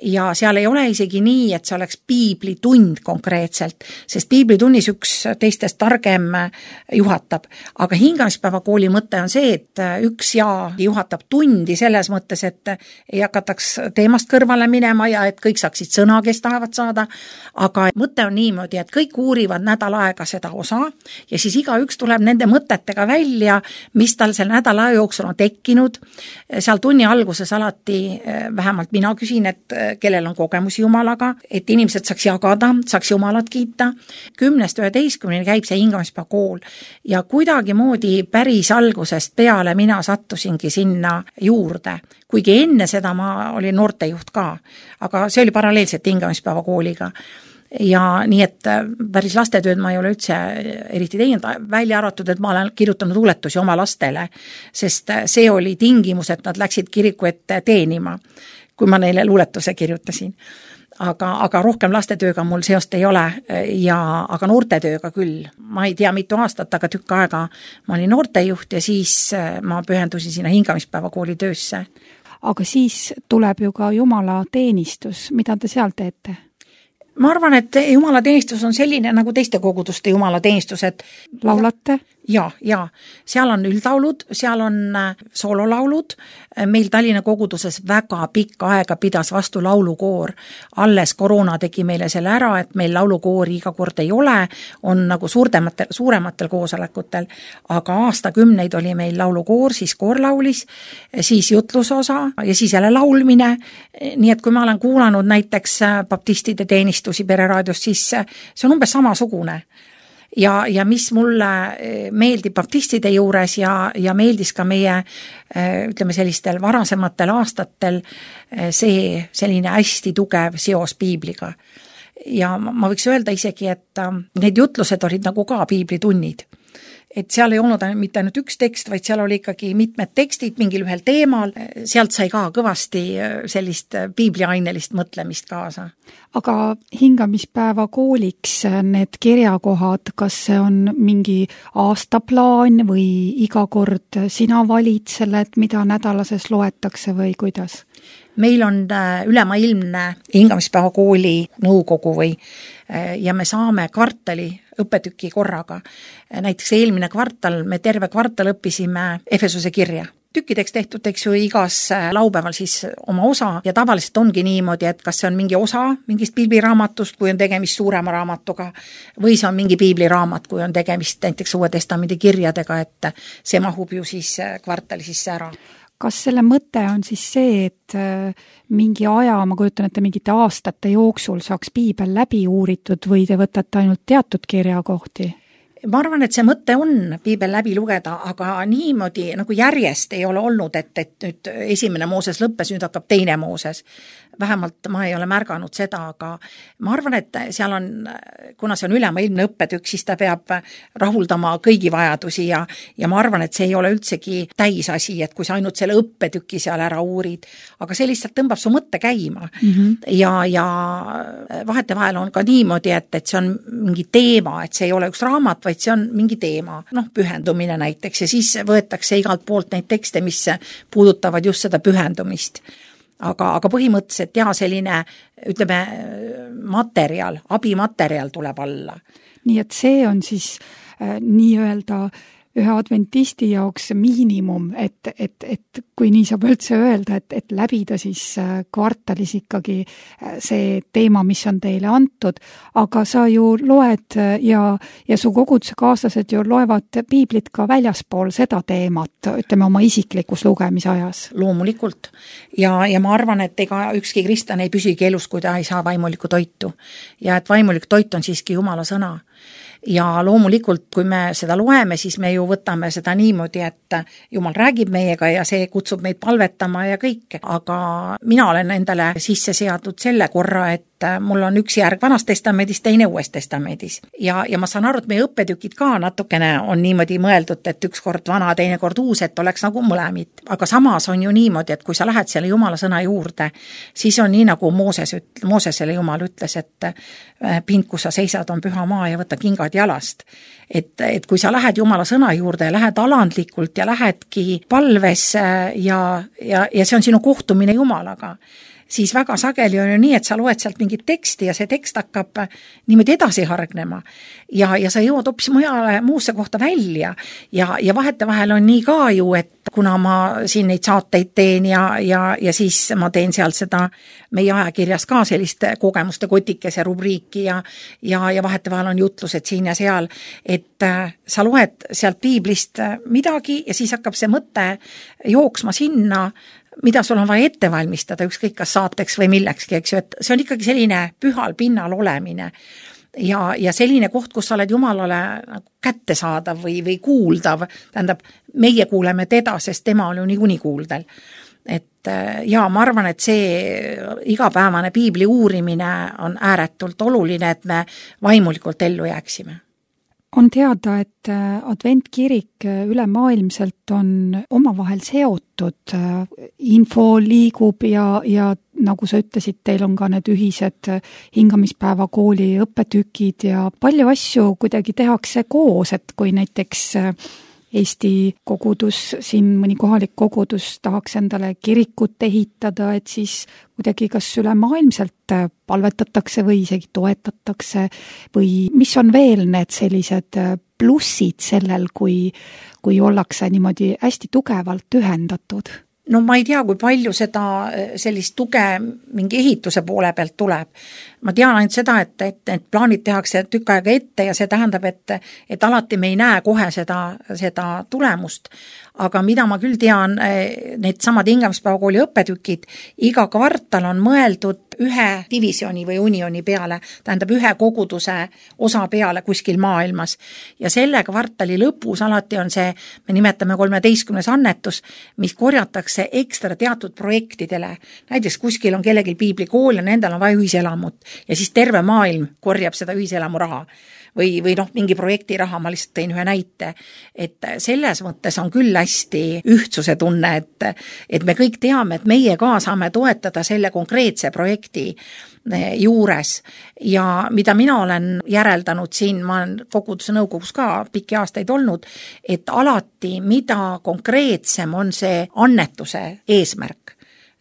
ja seal ei ole isegi nii, et see oleks piiblitund konkreetselt, sest piiblitunnis üks teistest targem juhatab. Aga hingamispäeva kooli mõte on see, et üks ja juhatab tundi selles mõttes, et ei hakataks teemast kõrvale minema ja et kõik saaksid sõna, kes tahavad saada. Aga mõte on niimoodi, et kõik uurivad nädal aega seda osa ja siis iga üks tuleb nende mõtetega välja, mis tal selle nädala jooksul on tekkinud. Seal tunni alguses alati, vähemalt mina küsin, et kellel on kogemus Jumalaga, et inimesed saaks jagada, saaks Jumalat kiita. Kümnest üheteistkümneni käib see hingamispäeva kool ja kuidagi moodi päris algusest peale mina sattusingi sinna juurde. Kuigi enne seda ma olin noortejuht ka, aga see oli paralleelselt hingamispäeva kooliga. Ja nii, et päris lastetööd ma ei ole üldse eriti teinud, välja arvatud, et ma olen kirjutanud luuletusi oma lastele, sest see oli tingimus, et nad läksid kiriku ette teenima, kui ma neile luuletuse kirjutasin. Aga, aga rohkem lastetööga mul seost ei ole, ja, aga noortetööga küll. Ma ei tea mitu aastat, aga tükk aega ma olin noortejuht ja siis ma pühendusin sinna hingamispäeva kooli töösse. Aga siis tuleb ju ka Jumala teenistus, mida te seal teete? Ma arvan, et Jumala teenistus on selline nagu teiste koguduste Jumala teenistus, et laulate? Ja, ja. Seal on üldlaulud, seal on soololaulud. Meil Tallinna koguduses väga pikka aega pidas vastu laulukoor. Alles koroona tegi meile selle ära, et meil laulukoori iga kord ei ole, on nagu suurematel, suurematel koosolekutel, aga aastakümneid oli meil laulukoor, siis koor laulis, siis jutlusosa ja siis jälle laulmine. Nii et kui ma olen kuulanud näiteks baptistide teenistus Pereraadiost, siis see on umbes samasugune. Ja, ja mis mulle meeldib baptistide juures ja, ja meeldis ka meie, ütleme sellistel varasematel aastatel see selline hästi tugev seos piibliga. Ja ma võiks öelda isegi, et need jutlused olid nagu ka piiblitunnid. Et seal ei olnud mitte ainult üks tekst, vaid seal oli ikkagi mitmed tekstid mingil ühel teemal. Sealt sai ka kõvasti sellist piibliainelist mõtlemist kaasa. Aga hingamispäeva kooliks need kirjakohad, kas see on mingi aastaplaan või iga kord sina valid selle, et mida nädalases loetakse või kuidas? Meil on ülemaailmne hingamispäeva kooli nõukogu või ja me saame kvartali õppetüki korraga. Näiteks eelmine kvartal, me terve kvartal õppisime Efesuse kirja. Tükkideks tehtud, eks ju, igas laupäeval siis oma osa ja tavaliselt ongi niimoodi, et kas see on mingi osa mingist piibliraamatust, kui on tegemist suurema raamatuga, või see on mingi piibliraamat, kui on tegemist näiteks Uue Testamendi kirjadega, et see mahub ju siis kvartali sisse ära. Kas selle mõte on siis see, et mingi aja, ma kujutan, et mingite aastate jooksul saaks piibel läbi uuritud või te võtate ainult teatud kirjakohti? Ma arvan, et see mõte on piibel läbi lugeda, aga niimoodi nagu järjest ei ole olnud, et, et nüüd esimene Mooses lõppes, nüüd hakkab teine Mooses. Vähemalt ma ei ole märganud seda, aga ma arvan, et seal on, kuna see on ülemaailmne õppetükk, siis ta peab rahuldama kõigi vajadusi ja, ja ma arvan, et see ei ole üldsegi täisasi, et kui sa ainult selle õppetüki seal ära uurid, aga see lihtsalt tõmbab su mõtte käima. Mm-hmm. Ja, ja vahetevahel on ka niimoodi, et, et see on mingi teema, et see ei ole üks raamat, vaid see on mingi teema, noh, pühendumine näiteks ja siis võetakse igalt poolt neid tekste, mis puudutavad just seda pühendumist. Aga, aga põhimõtteliselt jah, selline, ütleme, materjal, abimaterjal tuleb alla. Nii et see on siis äh, nii-öelda ühe adventisti jaoks miinimum, et, et, et kui nii saab üldse öelda, et, et läbida siis kvartalis ikkagi see teema, mis on teile antud, aga sa ju loed ja, ja su koguduse kaaslased ju loevad piiblit ka väljaspool seda teemat, ütleme oma isiklikus lugemisajas. Loomulikult. Ja, ja ma arvan, et ega ükski kristlane ei püsigi elus, kui ta ei saa vaimulikku toitu. Ja et vaimulik toit on siiski Jumala sõna. Ja loomulikult, kui me seda loeme, siis me ju võtame seda niimoodi, et Jumal räägib meiega ja see kutsub meid palvetama ja kõik. Aga mina olen endale sisse seadnud selle korra, et mul on üks järg Vanast testamendis, teine Uues testamendis. Ja, ja ma saan aru, et meie õppetükid ka natukene on niimoodi mõeldud, et üks kord vana, teine kord uus, et oleks nagu mõlemid. Aga samas on ju niimoodi, et kui sa lähed selle Jumala sõna juurde, siis on nii nagu Mooses, Moosesele Jumal ütles, et pind, kus sa seisad, on püha maa ja võta kingad jalast. Et, et kui sa lähed Jumala sõna juurde, lähed alandlikult ja lähedki palves ja, ja, ja see on sinu kohtumine Jumalaga. siis väga sageli on ju nii, et sa loed sealt mingit teksti ja see tekst hakkab niimoodi edasi hargnema ja, ja sa jõuad hoopis mujale, muusse kohta välja ja, ja vahetevahel on nii ka ju, et kuna ma siin neid saateid teen ja, ja, ja siis ma teen seal seda meie ajakirjas ka sellist kogemuste kotikese rubriiki ja, ja, ja vahetevahel on jutlused siin ja seal, et sa loed sealt piiblist midagi ja siis hakkab see mõte jooksma sinna, mida sul on vaja ette valmistada, ükskõik kas saateks või millekski, eks ju, et see on ikkagi selline pühal pinnal olemine ja, ja selline koht, kus sa oled Jumalale kättesaadav või, või kuuldav, tähendab, meie kuuleme teda, sest tema on ju niikuinii kuuldel. Et ja ma arvan, et see igapäevane piibli uurimine on ääretult oluline, et me vaimulikult ellu jääksime. On teada, et adventkirik ülemaailmselt on omavahel seotud, info liigub ja, ja nagu sa ütlesid, teil on ka need ühised hingamispäeva kooli õppetükid ja palju asju kuidagi tehakse koos, et kui näiteks Eesti kogudus, siin mõni kohalik kogudus tahaks endale kirikut ehitada, et siis kuidagi kas ülemaailmselt palvetatakse või isegi toetatakse või mis on veel need sellised plussid sellel, kui, kui ollakse niimoodi hästi tugevalt ühendatud? No ma ei tea, kui palju seda sellist tuge mingi ehituse poole pealt tuleb. Ma tean ainult seda, et, et, et plaanid tehakse tükk aega ette ja see tähendab, et, et alati me ei näe kohe seda, seda tulemust. Aga mida ma küll tean, need samad hingamispäevakooli õppetükid, iga kvartal on mõeldud ühe divisjoni või unioni peale, tähendab ühe koguduse osa peale kuskil maailmas. Ja selle kvartali lõpus alati on see, me nimetame kolmeteistkümnes annetus, mis korjatakse ekstra teatud projektidele. Näiteks kuskil on kellelgi piiblikool ja nendel on vaja ühiselamut ja siis terve maailm korjab seda ühiselamu raha. Või, või noh, mingi projekti raha, ma lihtsalt tein ühe näite, et selles mõttes on küll hästi ühtsuse tunne, et, et me kõik teame, et meie ka saame toetada selle konkreetse projekti juures ja mida mina olen järeldanud siin, ma olen koguduse nõukogus ka pikki aastaid olnud, et alati mida konkreetsem on see annetuse eesmärk,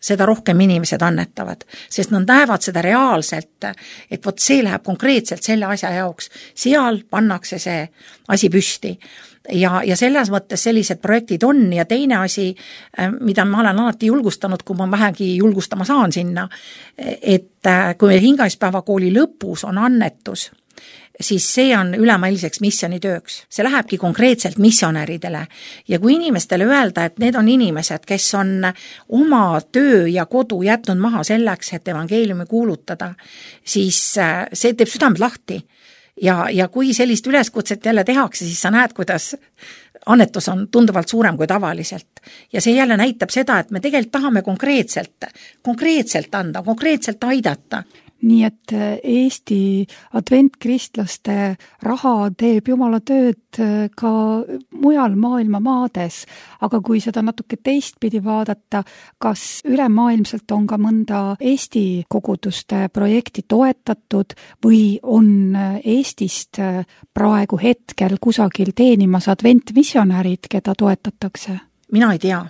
seda rohkem inimesed annetavad, sest nad näevad seda reaalselt, et vot see läheb konkreetselt selle asja jaoks, seal pannakse see asi püsti. Ja, ja selles mõttes sellised projektid on ja teine asi, mida ma olen alati julgustanud, kui ma vähegi julgustama saan sinna, et kui meil hingamispäevakooli lõpus on annetus, siis see on ülemaailmseks missioonitööks. See lähebki konkreetselt missionäridele. Ja kui inimestele öelda, et need on inimesed, kes on oma töö ja kodu jätnud maha selleks, et evangeeliumi kuulutada, siis see teeb südamed lahti. Ja, ja kui sellist üleskutset jälle tehakse, siis sa näed, kuidas annetus on tunduvalt suurem kui tavaliselt. Ja see jälle näitab seda, et me tegelikult tahame konkreetselt, konkreetselt anda, konkreetselt aidata. Nii et Eesti adventkristlaste raha teeb Jumala tööd ka mujal maailma maades, aga kui seda natuke teistpidi vaadata, kas ülemaailmselt on ka mõnda Eesti koguduste projekti toetatud või on Eestist praegu hetkel kusagil teenimas adventmissionärid, keda toetatakse? Mina ei tea.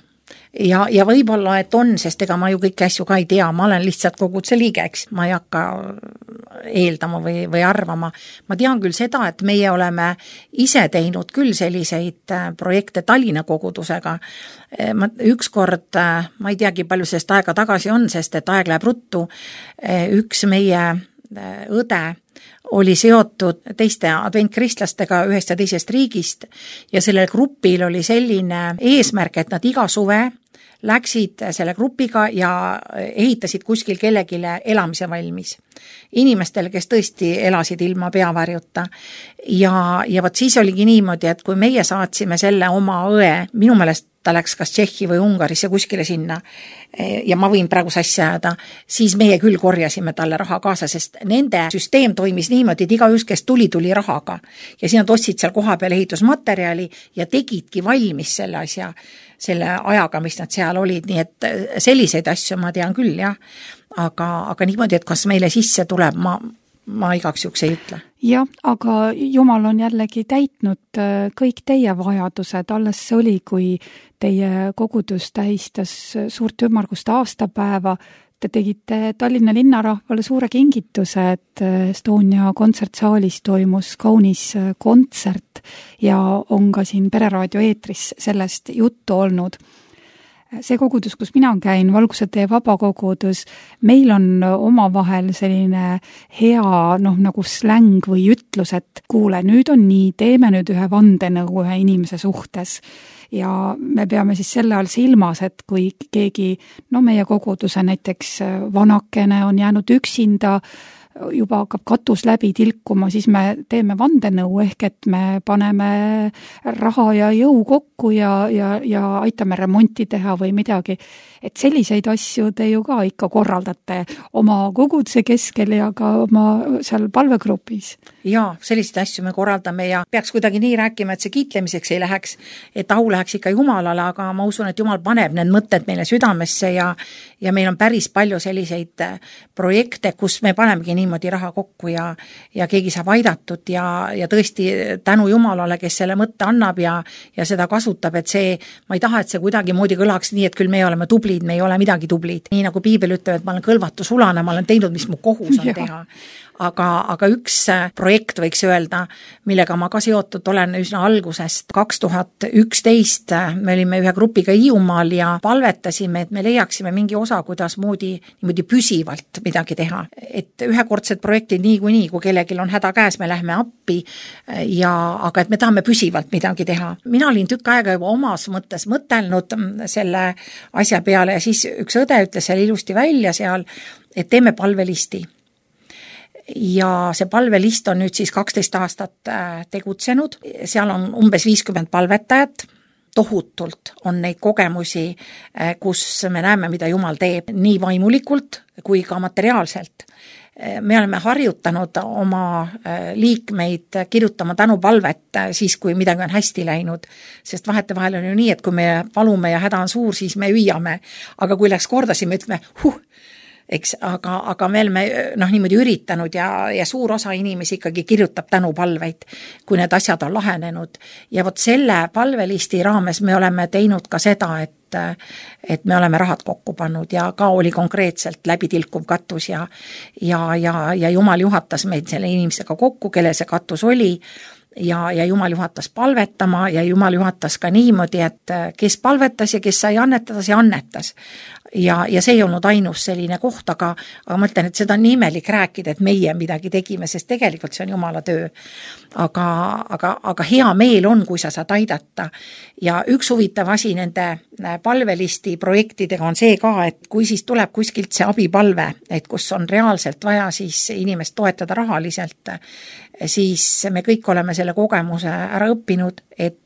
Ja, ja võib-olla, et on, sest ega ma ju kõiki asju ka ei tea, ma olen lihtsalt koguduse liige, eks, ma ei hakka eeldama või, või arvama. Ma tean küll seda, et meie oleme ise teinud küll selliseid projekte Tallinna kogudusega. Ma, ükskord, ma ei teagi, palju sellest aega tagasi on, sest et aeg läheb ruttu, üks meie õde oli seotud teiste adventkristlastega ühest ja teisest riigist ja sellel grupil oli selline eesmärk, et nad iga suve läksid selle grupiga ja ehitasid kuskil kellegile elamise valmis. Inimestele, kes tõesti elasid ilma peavarjuta. Ja, ja võt siis oligi niimoodi, et kui meie saatsime selle oma õe, minu meelest ta läks kas Tšehhi või Ungarisse kuskile sinna ja ma võin praegu sassi ajada, siis meie küll korjasime talle raha kaasa, sest nende süsteem toimis niimoodi, et igaüks, kes tuli, tuli rahaga. Ja siis nad ostsid seal koha peal ehitusmaterjali ja tegidki valmis selle asja, selle ajaga, mis nad seal olid, nii et selliseid asju ma tean küll, jah. Aga, aga niimoodi, et kas meile sisse tuleb, ma, ma igaks juks ei ütle. Jah, aga Jumal on jällegi täitnud kõik teie vajadused, alles see oli, kui teie kogudus tähistas suurt ümmargust aastapäeva, te tegite Tallinna linnarahvale suure kingituse, et Estonia kontsertsaalis toimus kaunis kontsert ja on ka siin Pereraadio eetris sellest juttu olnud. See kogudus, kus mina käin, Valguse tee vabakogudus, meil on omavahel selline hea noh, nagu släng või ütlus, et kuule, nüüd on nii, teeme nüüd ühe vandenõu ühe inimese suhtes. Ja me peame siis selle all silmas, et kui keegi, no meie koguduse näiteks vanakene on jäänud üksinda, juba hakkab katus läbi tilkuma, siis me teeme vandenõu ehk, et me paneme raha ja jõu kokku ja, ja, ja aitame remonti teha või midagi. Et selliseid asju te ju ka ikka korraldate oma koguduse keskel ja ka oma seal palvegrupis. Jaa, selliseid asju me korraldame ja peaks kuidagi nii rääkima, et see kiitlemiseks ei läheks, et au läheks ikka Jumalale, aga ma usun, et Jumal paneb need mõtted meile südamesse ja, ja meil on päris palju selliseid projekte, kus me panemegi niimoodi raha kokku ja, ja keegi saab aidatud ja, ja tõesti tänu Jumalale, kes selle mõtte annab ja, ja seda kasutab, et see, ma ei taha, et see kuidagi moodi kõlaks nii, et küll me oleme tublid, me ei ole midagi tublid. Nii nagu Piibel ütleb, et ma olen kõlvatu sulane, ma olen teinud, mis mu kohus on ja. teha. Aga, aga üks projekt võiks öelda, millega ma ka seotud olen üsna algusest. kaks tuhat üksteist me olime ühe grupiga Hiiumaal ja palvetasime, et me leiaksime mingi osa, kuidas moodi niimoodi püsivalt midagi teha. Et ühekordsed projektid nii kui nii, kui kellelgi on häda käes, me lähme appi, ja, aga et me tahame püsivalt midagi teha. Mina olin tükk aega juba omas mõttes mõtelnud selle asja peale ja siis üks õde ütles seal ilusti välja seal, et teeme palvelisti. Ja see palvelist on nüüd siis kaksteist aastat tegutsenud, seal on umbes viiskümmend palvetajat, tohutult on neid kogemusi, kus me näeme, mida Jumal teeb nii vaimulikult kui ka materiaalselt. Me oleme harjutanud oma liikmeid kirjutama tänupalvet siis, kui midagi on hästi läinud, sest vahetevahel on ju nii, et kui me palume ja häda on suur, siis me hüüame, aga kui läks korda, siis me ütleme, huh, eks, aga, aga me oleme noh, niimoodi üritanud ja, ja suur osa inimesi ikkagi kirjutab tänupalveid, kui need asjad on lahenenud. Ja vot selle palvelisti raames me oleme teinud ka seda, et, et me oleme rahad kokku pannud ja ka oli konkreetselt läbi tilkuv katus ja, ja, ja, ja Jumal juhatas meid selle inimesega kokku, kelle see katus oli. Ja, ja Jumal juhatas palvetama ja Jumal juhatas ka niimoodi, et kes palvetas ja kes sai annetada, see annetas. Ja, ja see ei olnud ainus selline koht, aga, aga ma ütlen, et seda on imelik rääkida, et meie midagi tegime, sest tegelikult see on Jumala töö. Aga, aga, aga hea meel on, kui sa saad aidata. Ja üks huvitav asi nende palvelisti projektidega on see ka, et kui siis tuleb kuskilt see abipalve, et kus on reaalselt vaja siis inimest toetada rahaliselt, siis me kõik oleme selle kogemuse ära õppinud, et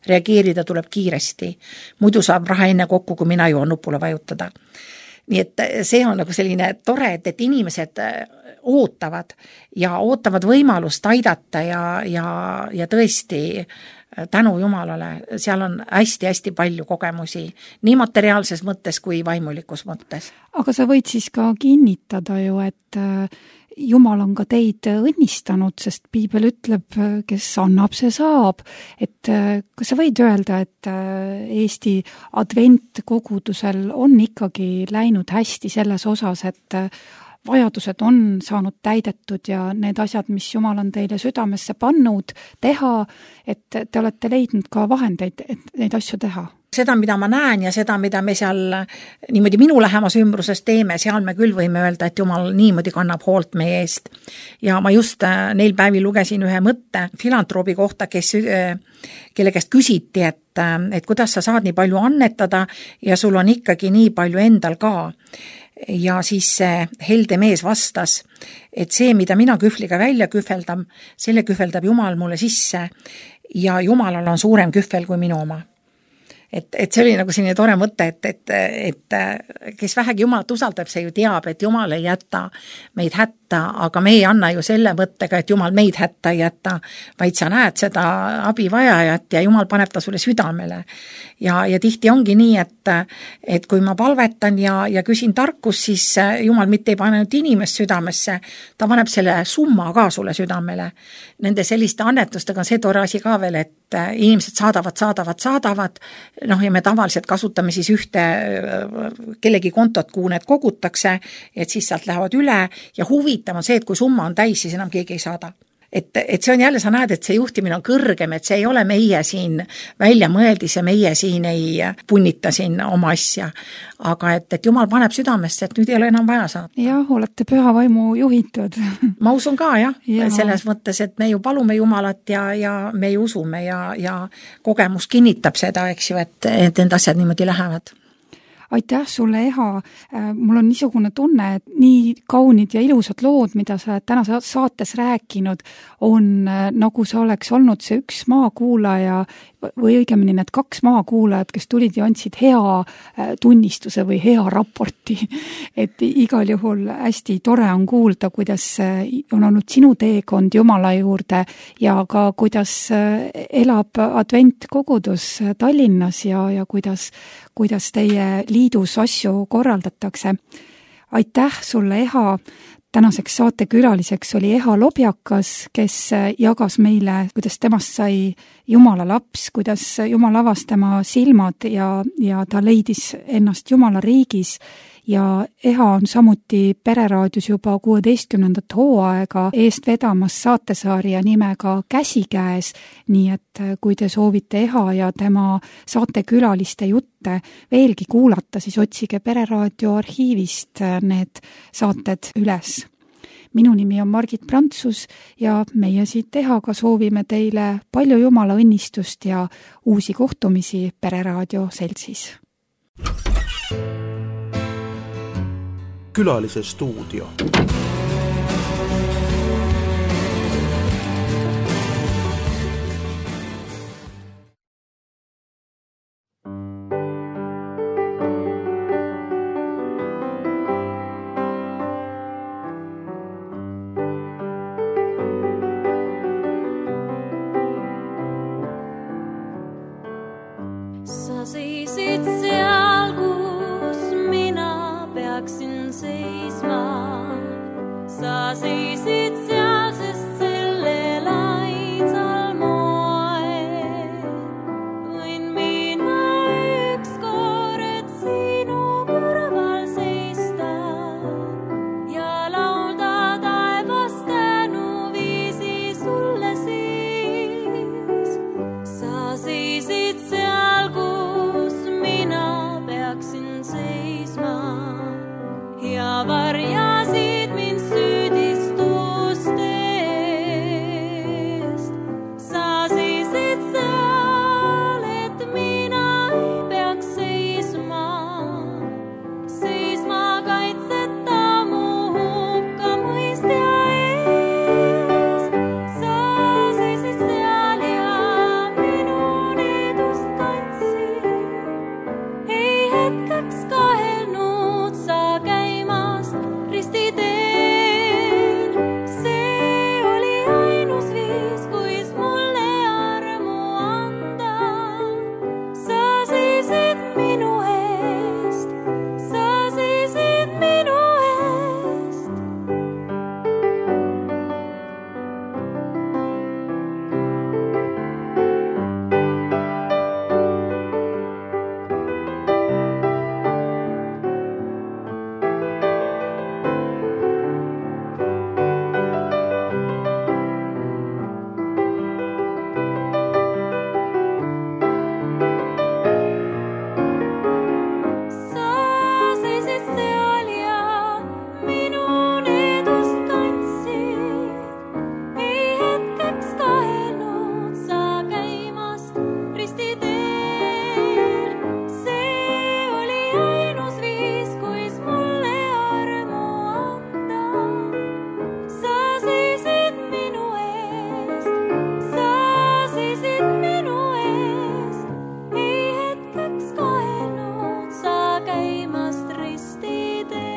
reageerida tuleb kiiresti. Muidu saab raha enne kokku, kui mina jõuan nupule vajutada. Nii et see on nagu selline tore, et, et inimesed ootavad ja ootavad võimalust aidata ja, ja, ja tõesti tänu Jumalale, seal on hästi-hästi palju kogemusi, nii materiaalses mõttes kui vaimulikus mõttes. Aga sa võid siis ka kinnitada ju, et Jumal on ka teid õnnistanud, sest Piibel ütleb, kes annab, see saab. Et kas sa võid öelda, et Eesti adventkogudusel on ikkagi läinud hästi selles osas, et vajadused on saanud täidetud ja need asjad, mis Jumal on teile südamesse pannud teha, et te olete leidnud ka vahendeid, et neid asju teha? Seda, mida ma näen ja seda, mida me seal niimoodi minu lähemas ümbruses teeme, seal me küll võime öelda, et Jumal niimoodi kannab hoolt meie eest. Ja ma just neil päevil lugesin ühe mõtte filantroobi kohta, kes, kelle käest küsiti, et, et kuidas sa saad nii palju annetada ja sul on ikkagi nii palju endal ka. Ja siis see helde mees vastas, et see, mida mina kühvliga välja kühveldam, selle kühveldab Jumal mulle sisse ja Jumalal on suurem kühvel kui minu oma. Et, et see oli nagu selline tore mõte, et, et, et kes vähegi Jumalat usaldab, see ju teab, et Jumal ei jäta meid hätta, aga me ei anna ju selle mõttega, et Jumal meid hätta ei jäta, vaid sa näed seda abivajajat ja Jumal paneb ta sulle südamele. Ja, ja tihti ongi nii, et, et kui ma palvetan ja, ja küsin tarkus, siis Jumal mitte ei pane nüüd inimest südamesse, ta paneb selle summa ka sulle südamele. Nende selliste annetustega on see tore asi ka veel, et et inimesed saadavad, saadavad, saadavad, noh ja me tavaliselt kasutame siis ühte kellegi kontot, kuhu need kogutakse, et siis sealt lähevad üle ja huvitav on see, et kui summa on täis, siis enam keegi ei saada. Et, et see on jälle, sa näed, et see juhtimine on kõrgem, et see ei ole meie siin välja mõeldis ja meie siin ei punnita siin oma asja. Aga et, et Jumal paneb südamesse, et nüüd ei ole enam vaja saada. Jah, olete püha vaimu juhitud. Ma usun ka, jah. Ja. Selles mõttes, et me ju palume Jumalat ja, ja me ju usume ja, ja kogemus kinnitab seda, eks ju, et, et need asjad niimoodi lähevad. Aitäh sulle, Eha. Mul on niisugune tunne, et nii kaunid ja ilusad lood, mida sa täna saates rääkinud, on nagu sa oleks olnud see üks maakuulaja või õigemini need kaks maakuulajad, kes tulid ja andsid hea tunnistuse või hea raporti. Et igal juhul hästi tore on kuulda, kuidas on olnud sinu teekond Jumala juurde ja ka kuidas elab adventkogudus Tallinnas ja, ja kuidas, kuidas teie liidus asju korraldatakse. Aitäh sulle, Eha. Tänaseks saatekülaliseks oli Eha Lobjakas, kes jagas meile, kuidas temast sai Jumala laps, kuidas Jumal avas tema silmad ja, ja ta leidis ennast Jumala riigis. Ja Eha on samuti Pereraadios juba kuueteistkümnendat hooaega eest vedamas saatesarja nimega Käsikäes, nii et kui te soovite Eha ja tema saatekülaliste jutte veelgi kuulata, siis otsige Pereraadio arhiivist need saated üles. Minu nimi on Margit Prantsus ja meie siit Ehaga soovime teile palju Jumala õnnistust ja uusi kohtumisi Pereraadio seltsis. Külalise stuudio. Sa seisid seal, kus mina peaksin seisma. Sa seisid seal, sest sellel ainsal moel võin mina ükskord sinu kõrval seista ja laulda taevast tänuviisi sulle siis. Sa seisid seal, kus mina peaksin seisma ja varjasid mind süüdistustest. Sa seisid seal, et mina ei peaks seisma, seisma kaitseta mu hukkamõistja ees. Sa seisid seal ja minu needust kandsid, ei hetkeks kahelnud sa käimast ristiteel. See oli ainus viis, kuis mulle armu anda. Sa seisid minu eest, sa seisid minu eest. Sa seisid seal ja minu needust kandsid, ei hetkeks kahelnud sa käimast ristiteel. See oli ainus viis, kuis mulle armu anda. Sa seisid minu eest, sa seisid minu eest, ei hetkeks kahelnud sa käimast ristiteel.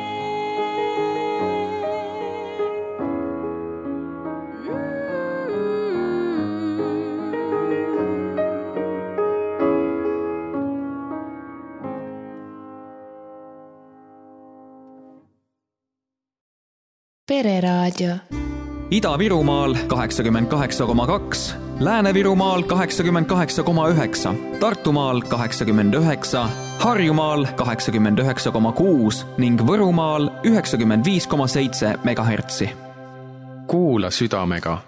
Pereraadio. Ida-Virumaal kaheksakümmend kaheksa koma kaks, Lääne-Virumaal kaheksakümmend kaheksa koma üheksa, Tartumaal kaheksakümmend üheksa, Harjumaal kaheksakümmend üheksa koma kuus ning Võrumaal üheksakümmend viis koma seitse megahertsi. Kuula südamega.